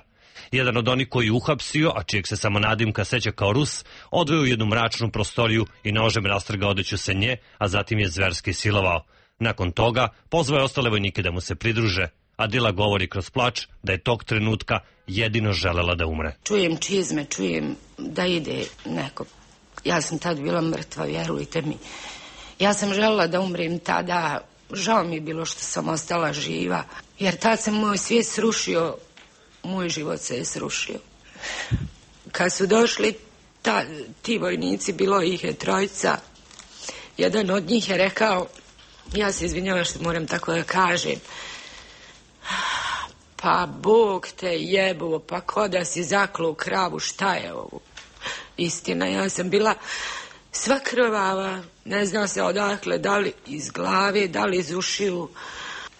Jedan od onih koji je uhapsio, a čijeg se samo nadimka seća kao Rus, odveo u jednu mračnu prostoriju i nožem rastrgao odeću se nje, a zatim je zverski silovao. Nakon toga pozvao je ostale vojnike da mu se pridruže. Adila govori kroz plač da je tog trenutka jedino želela da umre. Čujem čizme, čujem da ide neko. Ja sam tad bila mrtva, vjerujte mi. Ja sam želela da umrem tada. Žao mi je bilo što sam ostala živa, jer tad se moj svijet srušio. Moj život se je srušio. Kad su došli ti vojnici, bilo ih je trojica. Jedan od njih je rekao, ja se izvinjavam što moram tako da kažem, pa Bog te jebuo, pa ko da si zaklo u kravu, šta je ovo? Istina, ja sam bila sva krvava, ne zna se odakle, da li iz glave, da li iz ušiju,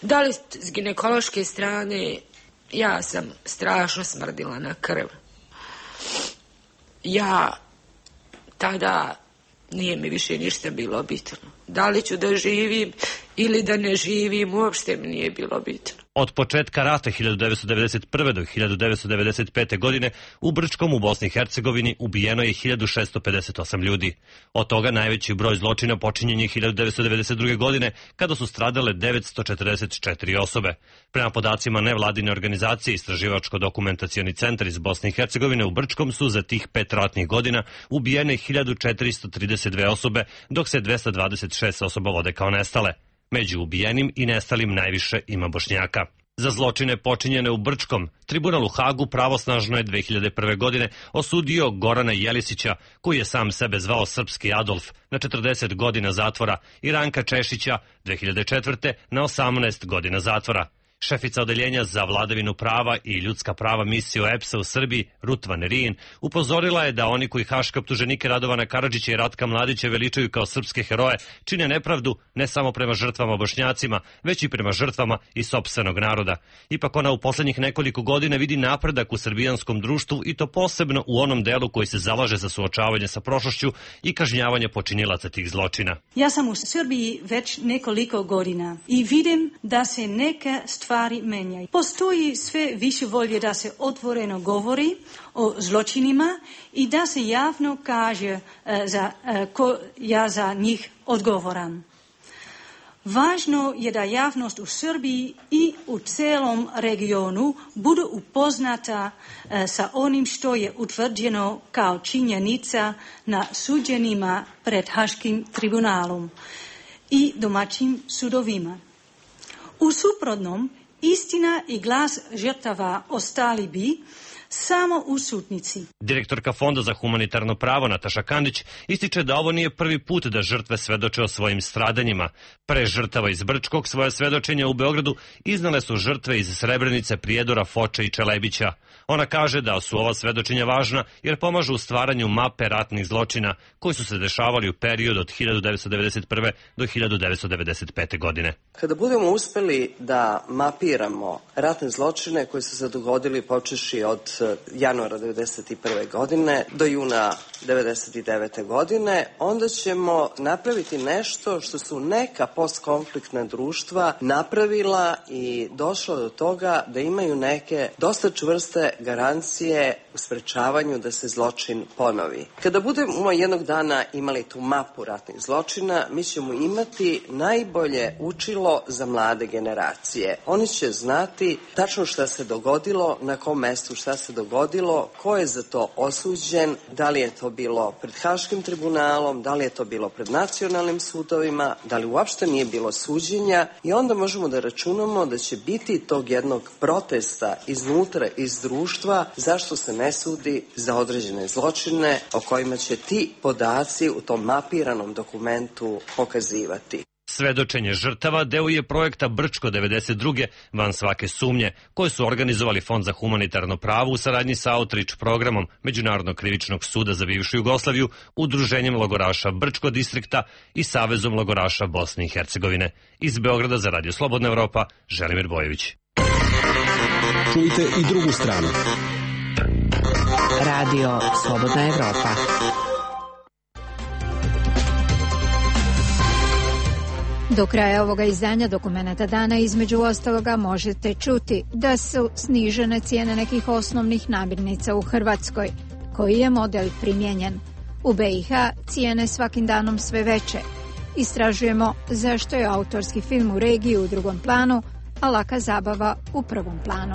da li s ginekološke strane. Ja sam strašno smrdila na krv. Ja tada nije mi više ništa bilo bitno. Da li ću da živim ili da ne živim, uopšte mi nije bilo bitno. Od početka rata 1991. do 1995. godine u Brčkom u Bosni i Hercegovini ubijeno je 1658 ljudi. Od toga najveći broj zločina počinjen je 1992. godine kada su stradale 944 osobe. Prema podacima nevladine organizacije Istraživačko-dokumentacioni centar iz Bosne i Hercegovine u Brčkom su za tih 5 ratnih godina ubijene 1432 osobe, dok se 226 osoba vode kao nestale. Među ubijenim i nestalim najviše ima Bošnjaka. Za zločine počinjene u Brčkom, tribunal u Hagu pravosnažno je 2001. godine osudio Gorana Jelisića, koji je sam sebe zvao Srpski Adolf, na 40 godina zatvora i Ranka Češića 2004. na 18 godina zatvora. Šefica odeljenja za vladavinu prava i ljudska prava misije OEBS-a u Srbiji, Rut Van Rijn, upozorila je da oni koji haške optuženike Radovana Karadžića i Ratka Mladića veličaju kao srpske heroje, čine nepravdu ne samo prema žrtvama Bošnjacima, već i prema žrtvama i sopstvenog naroda. Ipak ona u posljednjih nekoliko godina vidi napredak u srbijanskom društvu i to posebno u onom delu koji se zalaže za suočavanje sa prošlošću i kažnjavanje počinilaca tih zločina. Ja sam u Srbiji već nekoliko godina i vidim da se neke stvari menjaju. Postoji sve više volje da se otvoreno govori o zločinima i da se javno kaže ko ja za njih odgovoram. Važno je da javnost u Srbiji i u celom regionu budu upoznata sa onim što je utvrđeno kao činjenica na suđenjima pred Haškim tribunalom i domaćim sudovima. U suprotnom, istina i glas žrtava ostali bi samo u sutnici. Direktorka Fonda za humanitarno pravo Nataša Kandić ističe da ovo nije prvi put da žrtve svedoče o svojim stradanjima. Pre žrtava iz Brčkog svoje svedočenja u Beogradu iznale su žrtve iz Srebrenice, Prijedora, Foče i Čelebića. Ona kaže da su ova svedočenja važna jer pomažu u stvaranju mape ratnih zločina koji su se dešavali u periodu od 1991. do 1995. godine. Kada budemo uspeli da mapiramo ratne zločine koji su se dogodili počeši od januara 1991. godine do juna 1999. godine, onda ćemo napraviti nešto što su neka postkonfliktna društva napravila i došla do toga da imaju neke dosta čvrste garancije u sprečavanju da se zločin ponovi. Kada budemo jednog dana imali tu mapu ratnih zločina, mi ćemo imati najbolje učilo za mlade generacije. Oni će znati tačno šta se dogodilo, na kom mestu šta se dogodilo, ko je za to osuđen, da li je to bilo pred Haškim tribunalom, da li je to bilo pred nacionalnim sudovima, da li uopšte nije bilo suđenja i onda možemo da računamo da će biti tog jednog protesta iznutra, iz društva, društva, zašto se ne sudi za određene zločine o kojima će ti podaci u tom mapiranom dokumentu pokazivati. Svedočenje žrtava deo je projekta Brčko 92. van svake sumnje, koje su organizovali Fond za humanitarno pravo u saradnji sa Outreach programom Međunarodnog krivičnog suda za bivšu Jugoslaviju, Udruženjem logoraša Brčko distrikta i Savezom logoraša Bosne i Hercegovine. Iz Beograda za Radio Slobodna Evropa, Želimir Bojević. Čujte i drugu stranu. Radio Slobodna Evropa. Do kraja ovoga izdanja Dokumenta dana između ostaloga možete čuti da su snižene cijene nekih osnovnih namirnica u Hrvatskoj, koji je model primijenjen. U BiH cijene svakim danom sve veće. Istražujemo zašto je autorski film u regiji u drugom planu, a laka zabava u prvom planu.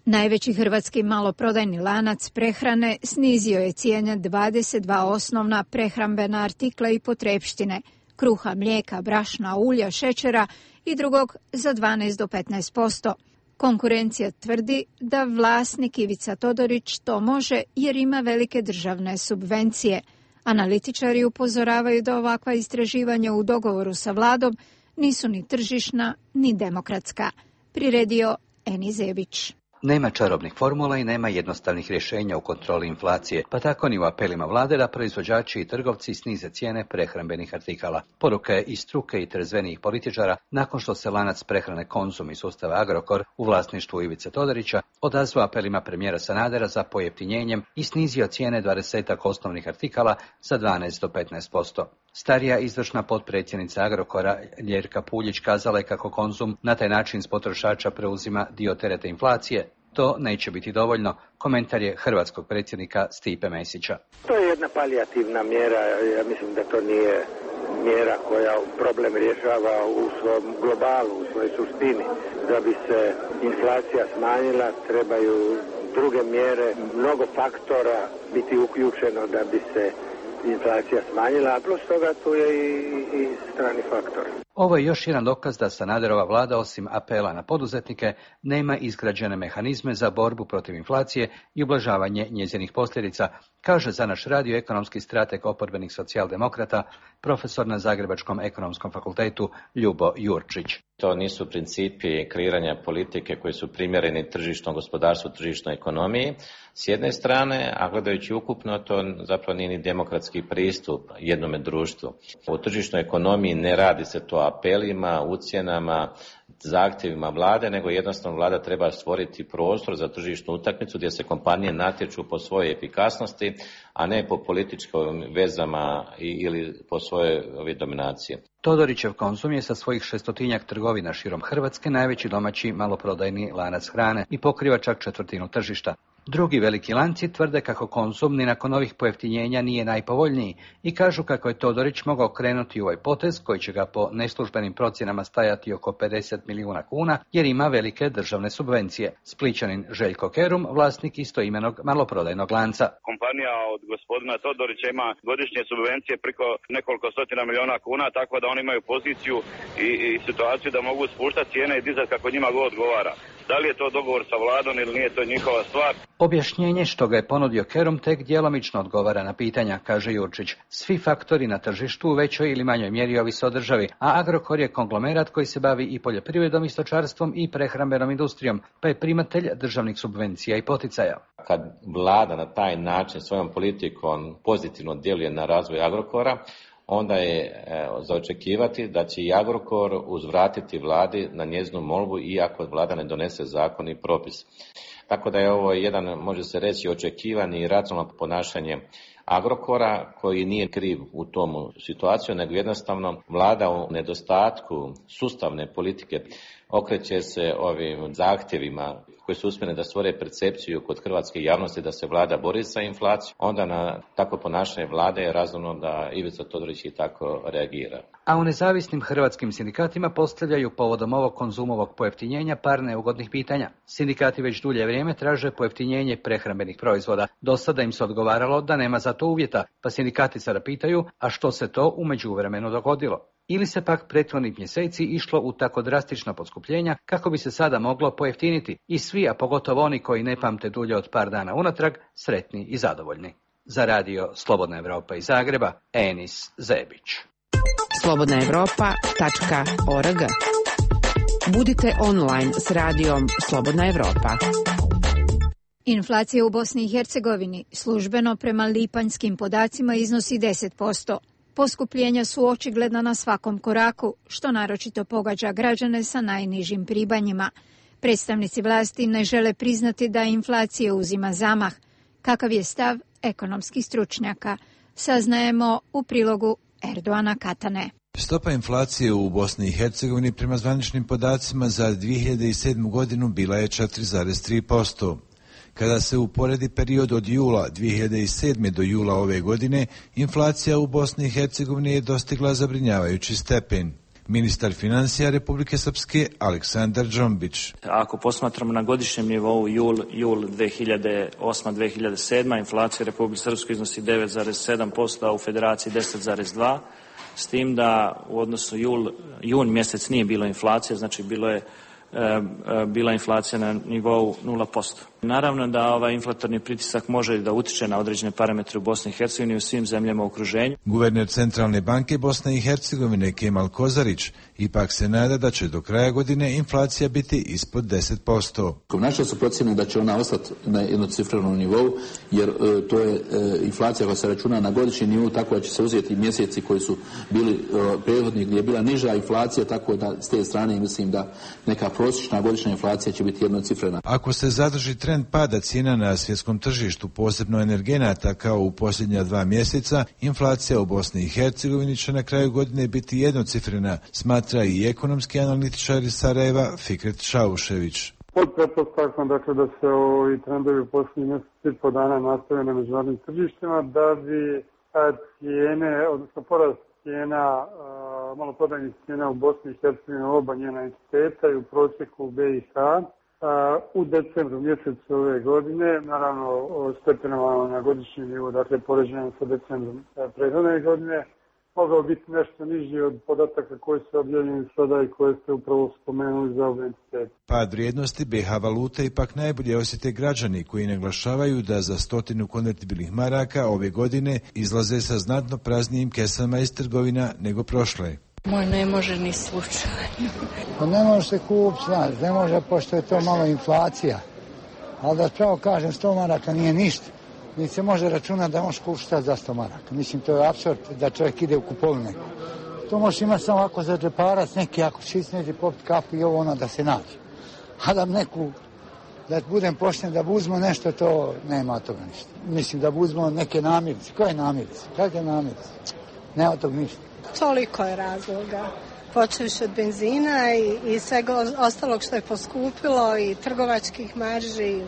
Najveći hrvatski maloprodajni lanac prehrane snizio je cijene 22 osnovna prehrambena artikla i potrepštine, kruha, mlijeka, brašna, ulja, šećera i drugog za 12 do 15%. Konkurencija tvrdi da vlasnik Ivica Todorić to može jer ima velike državne subvencije. Analitičari upozoravaju da ovakva istraživanja u dogovoru sa vladom nisu ni tržišna ni demokratska. Priredio Eni Zebić. Nema čarobnih formula i nema jednostavnih rješenja u kontroli inflacije, pa tako ni u apelima vlade da proizvođači i trgovci snize cijene prehrambenih artikala. Poruka je i struke i trezvenijih političara nakon što se lanac prehrane Konzum iz sustava Agrokor u vlasništvu Ivice Todorića odazvao apelima premijera Sanadera za pojeftinjenjem i snizio cijene 20 osnovnih artikala za 12 do 15%. Starija izvršna potpredsjednica Agrokora Ljerka Puljić kazala je kako Konzum na taj način s potrošača preuzima dio tereta inflacije. To neće biti dovoljno, komentar je hrvatskog predsjednika Stipe Mesića. To je jedna palijativna mjera, ja mislim da to nije mjera koja problem rješava u svom globalu, u svojoj suštini. Da bi se inflacija smanjila, trebaju druge mjere, mnogo faktora biti uključeno da bi se inflacija smanjila, a plus toga tu je i strani faktor. Ovo je još jedan dokaz da Sanaderova vlada, osim apela na poduzetnike, nema izgrađene mehanizme za borbu protiv inflacije i ublažavanje njezinih posljedica, kaže za naš radio ekonomski strateg oporbenih socijaldemokrata, profesor na Zagrebačkom ekonomskom fakultetu Ljubo Jurčić. To nisu principi kreiranja politike koji su primjereni tržišnom gospodarstvu, tržišnoj ekonomiji s jedne strane, a gledajući ukupno to zapravo nije ni demokratski pristup jednome društvu. U tržišnoj ekonomiji ne radi se to apelima, ucjenama, zahtjevima vlade, nego jednostavno vlada treba stvoriti prostor za tržišnu utakmicu gdje se kompanije natječu po svojoj efikasnosti, a ne po političkim vezama ili po svojoj dominaciji. Todorićev Konzum je sa svojih 600-tinjak trgovina širom Hrvatske najveći domaći maloprodajni lanac hrane i pokriva čak četvrtinu tržišta. Drugi veliki lanci tvrde kako Konzum ni nakon ovih pojeftinjenja nije najpovoljniji i kažu kako je Todorić mogao krenuti u ovaj potez koji će ga po neslužbenim procjenama stajati oko 50 milijuna kuna jer ima velike državne subvencije. Splićanin Željko Kerum, vlasnik istoimenog maloprodajnog lanca. Kompanija od gospodina Todorića ima godišnje subvencije preko nekoliko stotina milijuna kuna, tako da oni imaju poziciju i situaciju da mogu spuštati cijene i dizati kako njima god odgovara. Da li je to dogovor sa vladom ili nije, to njihova stvar. Objašnjenje što ga je ponudio Kerum tek djelomično odgovara na pitanja, kaže Jurčić. Svi faktori na tržištu u većoj ili manjoj mjeri ovise o državi, a Agrokor je konglomerat koji se bavi i poljoprivredom i stočarstvom i prehrambenom industrijom, pa je primatelj državnih subvencija i poticaja. Kad vlada na taj način svojom politikom pozitivno djeluje na razvoj Agrokora, onda je za očekivati da će i Agrokor uzvratiti vladi na njezinu molbu iako vlada ne donese zakon i propis. Tako da je ovo jedan, može se reći, očekivani i racionalno ponašanje Agrokora koji nije kriv u tomu situaciju, nego jednostavno vlada u nedostatku sustavne politike okreće se ovim zahtjevima koji su usmjereni da stvore percepciju kod hrvatske javnosti da se vlada bori sa inflacijom, onda na takvo ponašanje vlade je razumno da Ivica Todorić i tako reagira. A u nezavisnim hrvatskim sindikatima postavljaju povodom ovog Konzumovog pojeftinjenja par neugodnih pitanja. Sindikati već dulje vrijeme traže pojeftinjenje prehrambenih proizvoda. Do sada im se odgovaralo da nema za to uvjeta, pa sindikati sada pitaju, a što se to u međuvremenu dogodilo? ili se pak prethodnih mjeseci išlo u tako drastična poskupljenja kako bi se sada moglo pojeftiniti i svi, a pogotovo oni koji ne pamte dulje od par dana unatrag, sretni i zadovoljni. Za radio Slobodna Evropa iz Zagreba, Enis Zebić. slobodnaevropa.org. Budite online s radijom Slobodna Evropa. Inflacija u Bosni i Hercegovini službeno prema lipanjskim podacima iznosi 10%. Poskupljenja su očigledna na svakom koraku, što naročito pogađa građane sa najnižim primanjima. Predstavnici vlasti ne žele priznati da inflacija uzima zamah. Kakav je stav ekonomskih stručnjaka? Saznajemo u prilogu Erdoana Katane. Stopa inflacije u Bosni i Hercegovini prema zvaničnim podacima za 2007. godinu bila je 4,3%. Kada se uporedi period od jula 2007. do jula ove godine, inflacija u Bosni i Hercegovini je dostigla zabrinjavajući stepen. Ministar financija Republike Srpske Aleksandar Džombić. Ako posmatramo na godišnjem nivou jul 2008-2007, inflacija Republike Srpske iznosi 9,7%, a u Federaciji 10,2%, s tim da u odnosu jun mjesec nije bilo inflacije, znači bila inflacija na nivou 0%. Naravno da ovaj inflatorni pritisak može da utiče na određene parametre u Bosni i Hercegovini i u svim zemljama u okruženju. Guverner Centralne banke Bosne i Hercegovine Kemal Kozarić ipak se nada da će do kraja godine inflacija biti ispod 10%. Naše su procjene da će ona ostati na jednocifrenom nivou, jer to je inflacija koja se računa na godišnji nivou, tako da će se uzeti mjeseci koji su bili prethodni gdje je bila niža inflacija, tako da s te strane mislim da neka prosječna godišnja inflacija će biti jednocifrena. Ako se zadrži trend pada cijena na svjetskom tržištu, posebno energenata kao u posljednja 2 mjeseca, inflacija u Bosni i Hercegovini će na kraju godine biti jednocifrena, smatra i ekonomski analitičar iz Sarajeva Fikret Šaušević. Pod pretpostavkom dakle da se ovi trendovi u posljednjih mjeseci i po dana nastave na međunarodnim tržištima, da bi cijene, odnosno porast cijena, maloprodajnih cijena u Bosni i Hercegovini oba njena entiteta i u prosjeku u BiH u decembru mjesecu ove godine, naravno stepenovano na godišnji nivo, dakle poređenjem sa decembrom prethodne godine, mogao biti nešto niži od podataka koji su objavljeni sada i koje ste upravo spomenuli za ove entitete. Pad vrijednosti BiH valute ipak najbolje osjete građani koji naglašavaju da za 100 konvertibilnih maraka ove godine izlaze sa znatno praznijim kesama iz trgovina nego prošle. Moj ne može ni slučajno. Pa ne može se kupiti, znaš, ne može, pošto je to malo inflacija. Ali da pravo kažem, 100 maraka nije ništa. Ni se može računati da možeš kupiti šta za 100 maraka. Mislim, to je apsurd da čovjek ide u kupovine. To možeš imati samo ako za džeparac, neki ako čisneđe popiti kafu i ovo ono da se nađe. A da neku, da budem pošten, da uzmo nešto, to nema toga ništa. Mislim, da uzmo neke namirnice. Koje namirnice? Kakve namirnice? Nema toga ništa. Toliko je razloga. Počevši od benzina i svega ostalog što je poskupilo i trgovačkih marži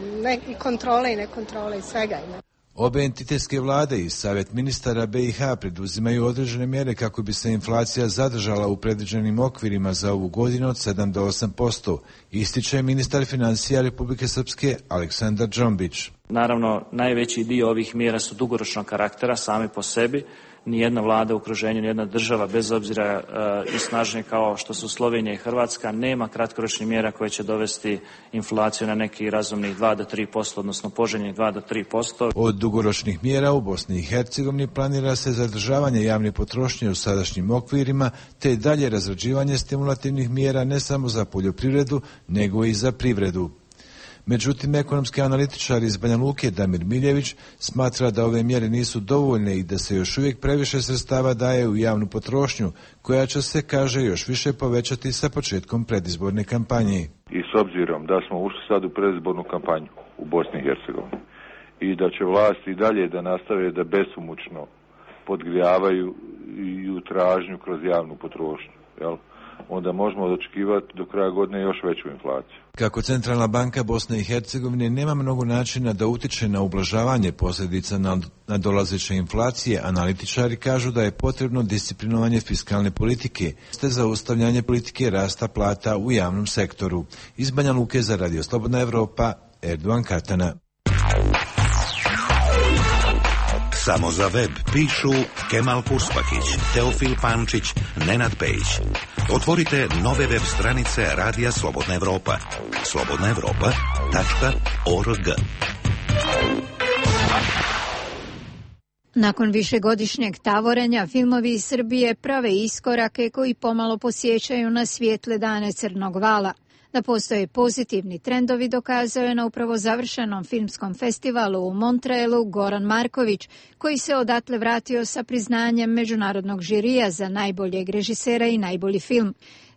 i kontrole i nekontrole i svega ima. Obe entitetske vlade i Savjet ministara BiH preduzimaju određene mjere kako bi se inflacija zadržala u predviđenim okvirima za ovu godinu od 7 do 8%, ističe ministar financija Republike Srpske Aleksandar Džombić. Naravno, najveći dio ovih mjera su dugoročnog karaktera sami po sebi. Nijedna vlada u okruženju, nijedna država, bez obzira i snažnije kao što su Slovenija i Hrvatska, nema kratkoročnih mjera koje će dovesti inflaciju na neki razumnih 2 do 3%, odnosno poželjnih 2 do 3%. Od dugoročnih mjera u Bosni i Hercegovini planira se zadržavanje javne potrošnje u sadašnjim okvirima, te dalje razrađivanje stimulativnih mjera ne samo za poljoprivredu, nego i za privredu. Međutim, ekonomski analitičar iz Banja Luke Damir Miljević smatra da ove mjere nisu dovoljne i da se još uvijek previše sredstava daje u javnu potrošnju, koja će se, kaže, još više povećati sa početkom predizborne kampanje. I s obzirom da smo ušli sad u predizbornu kampanju u Bosni i Hercegovini i da će vlasti i dalje da nastave da besomučno podgrijavaju i u tražnju kroz javnu potrošnju, jel? Onda možemo očekivati do kraja godine još veću inflaciju. Kako Centralna banka Bosne i Hercegovine nema mnogo načina da utiče na ublažavanje posljedica nadolazeće inflacije, analitičari kažu da je potrebno disciplinovanje fiskalne politike, te zaustavljanje politike rasta plata u javnom sektoru. Iz Banja Luke za Radio Slobodna Evropa, Erdoan Katana. Samo za web pišu Kemal Purspakić, Teofil Pančić, Nenad Pejić. Otvorite nove web stranice Radija Slobodna Evropa. slobodnaevropa.org. Nakon višegodišnjeg tavorenja, filmovi iz Srbije prave iskorake koji pomalo posjećaju na svijetle dane Crnog vala. Da postoje pozitivni trendovi dokazao je na upravo završenom filmskom festivalu u Montrealu Goran Marković, koji se odatle vratio sa priznanjem međunarodnog žirija za najboljeg režisera i najbolji film.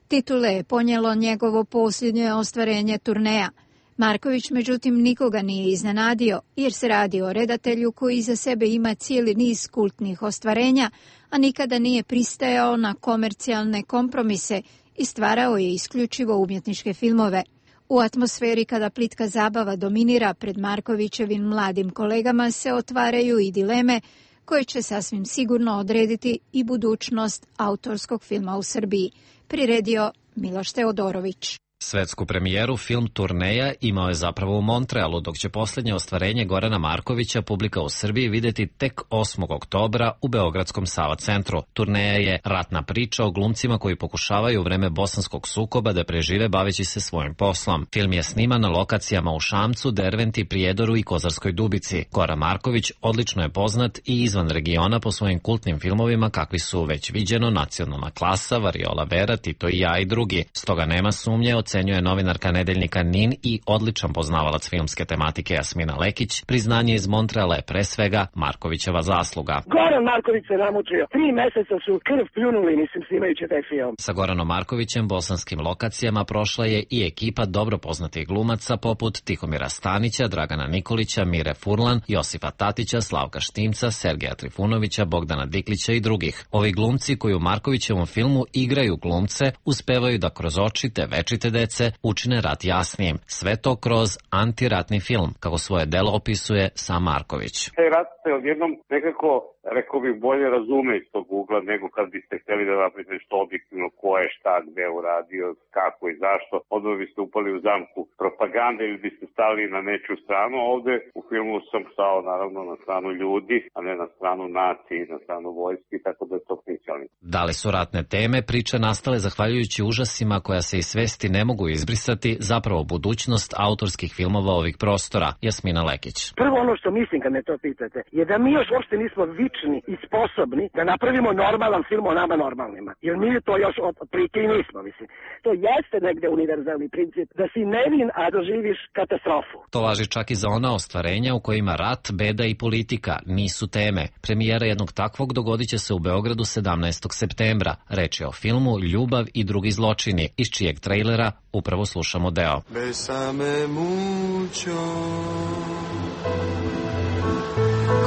Titule je ponijelo njegovo posljednje ostvarenje Turneja. Marković međutim nikoga nije iznenadio, jer se radi o redatelju koji iza sebe ima cijeli niz kultnih ostvarenja, a nikada nije pristajao na komercijalne kompromise i stvarao je isključivo umjetničke filmove. U atmosferi kada plitka zabava dominira pred Markovićevim mladim kolegama se otvaraju i dileme koje će sasvim sigurno odrediti i budućnost autorskog filma u Srbiji, priredio Miloš Teodorović. Svetsku premijeru film Turneja imao je zapravo u Montrealu, dok će posljednje ostvarenje Gorana Markovića publika u Srbiji vidjeti tek 8. oktobra u Beogradskom Sava centru. Turneja je ratna priča o glumcima koji pokušavaju u vreme bosanskog sukoba da prežive baveći se svojim poslom. Film je sniman na lokacijama u Šamcu, Derventi, Prijedoru i Kozarskoj Dubici. Goran Marković odlično je poznat i izvan regiona po svojim kultnim filmovima kakvi su Već viđeno, Nacionalna klasa, Variola Vera, Tito i ja i drugi. Stoga nema sumnje, ocenjuje novinarka nedeljnika NIN i odličan poznavalac filmske tematike Jasmina Lekić. Priznanje iz Montreala je pre svega Markovićeva zasluga. Goran Marković se namučio. 3 meseca su krv pljunuli, snimajući taj film. Sa Goranom Markovićem bosanskim lokacijama prošla je i ekipa dobro poznatih glumaca poput Tihomira Stanića, Dragana Nikolića, Mire Furlan, Josipa Tatića, Slavka Štimca, Sergeja Trifunovića, Bogdana Diklića i drugih. Ovi glumci koji u Markovićevom filmu igraju glumce uspevaju da kroz oči te večite dece učine rat jasnijim. Sve to kroz antiratni film, kako svoje delo opisuje sam Marković. Taj rat se odjednom nekako, rekao bih, bolje razume iz tog ugla nego kad biste htjeli da napravite nešto objektivno ko je šta, gde uradio, kako i zašto. Odmah biste upali u zamku propagande ili biste stali na nečiju stranu. Ovde u filmu sam stao naravno na stranu ljudi, a ne na stranu nacije i na stranu vojski, tako da je to princijalni. Da li su ratne teme, priče nastale zahvaljujući užasima koja se iz svesti ne mogu izbrisati, zapravo budućnost autorskih filmova ovih prostora? Jasmina Lekić. Prvo ono što mislim kad me to pitate je da mi još uopšte nismo vični i sposobni da napravimo normalan film o nama normalnima. Jer mi to još otprilike i nismo, mislim. To jeste negde univerzalni princip da si nevin, a doživiš katastrofu. To važi čak i za ona ostvarenja u kojima rat, beda i politika nisu teme. Premijera jednog takvog dogodit će se u Beogradu 17. septembra. Reč je o filmu Ljubav i drugi zločini, iz čijeg trejlera upravo slušamo deo. Bésame mucho,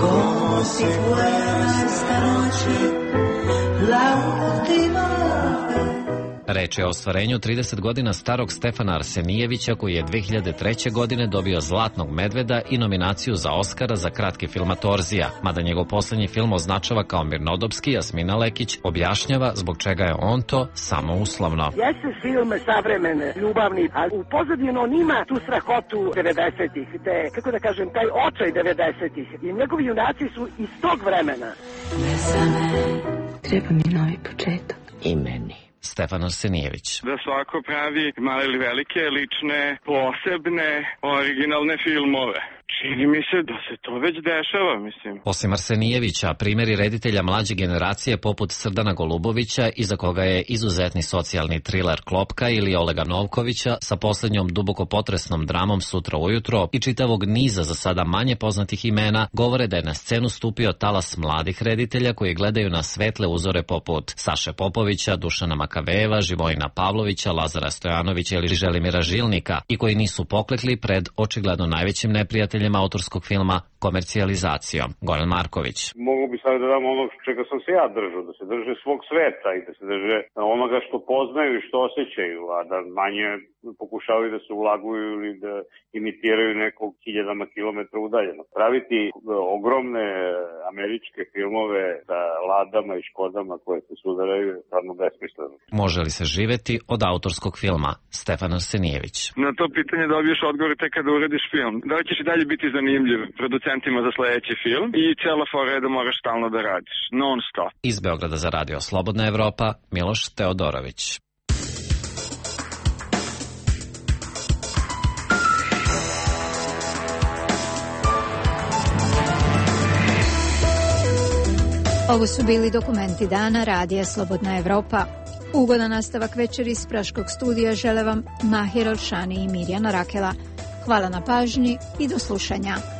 como si fuera esta noche la última vez. Reč je o ostvarenju 30 godina starog Stefana Arsenijevića, koji je 2003. godine dobio Zlatnog medveda i nominaciju za Oskara za kratki film Torzija. Mada njegov posljednji film označava kao mirnodopski, Jasmina Lekić objašnjava zbog čega je on to samo uslovno. Jeste film savremene, ljubavni, a u pozadinu on ima tu strahotu 90-ih, kako da kažem, taj očaj 90-ih. I njegovi junaci su iz tog vremena. Treba mi novi početak. I meni. Stefan Arsenijević. Da svako pravi male ili velike, lične, posebne, originalne filmove. Čini mi se da se to već dešava, mislim. Osim Arsenijevića, primjeri reditelja mlađe generacije poput Srdana Golubovića, iza koga je izuzetni socijalni triler Klopka, ili Olega Novkovića sa posljednjom duboko potresnom dramom Sutra ujutro i čitavog niza za sada manje poznatih imena, govore da je na scenu stupio talas mladih reditelja koji gledaju na svetle uzore poput Saše Popovića, Dušana Makavejeva, Živojina Pavlovića, Lazara Stojanovića ili Želimira Žilnika i koji nisu poklekli pred očigledno najvećim neprijateljem autorskog filma, komercijalizacijom. Goran Marković. Mogu bi sad da dam ono čega sam se ja držao, da se drže svog sveta i da se drže onoga što poznaju i što osjećaju, a da manje pokušavaju da se ulaguju ili da imitiraju nekog hiljadama kilometra udaljeno. Praviti ogromne američke filmove sa Ladama i Škodama koje se sudaraju je stvarno besmisleno. Može li se živeti od autorskog filma? Stefan Arsenijević. Na to pitanje dobiješ odgovor tek kada uradiš film. Da li ćeš i dalje biti zanimljiv? producentima za sledeći film i cijela fora je da moraš stalno da radiš, non stop. Iz Beograda za radio Slobodna Evropa, Miloš Teodorović. Ovo su bili dokumenti dana Radija Slobodna Evropa. Ugodan nastavak večeri iz Praškog studija žele vam Mahir Olšani i Mirjana Rakela. Hvala na pažnji i do slušanja.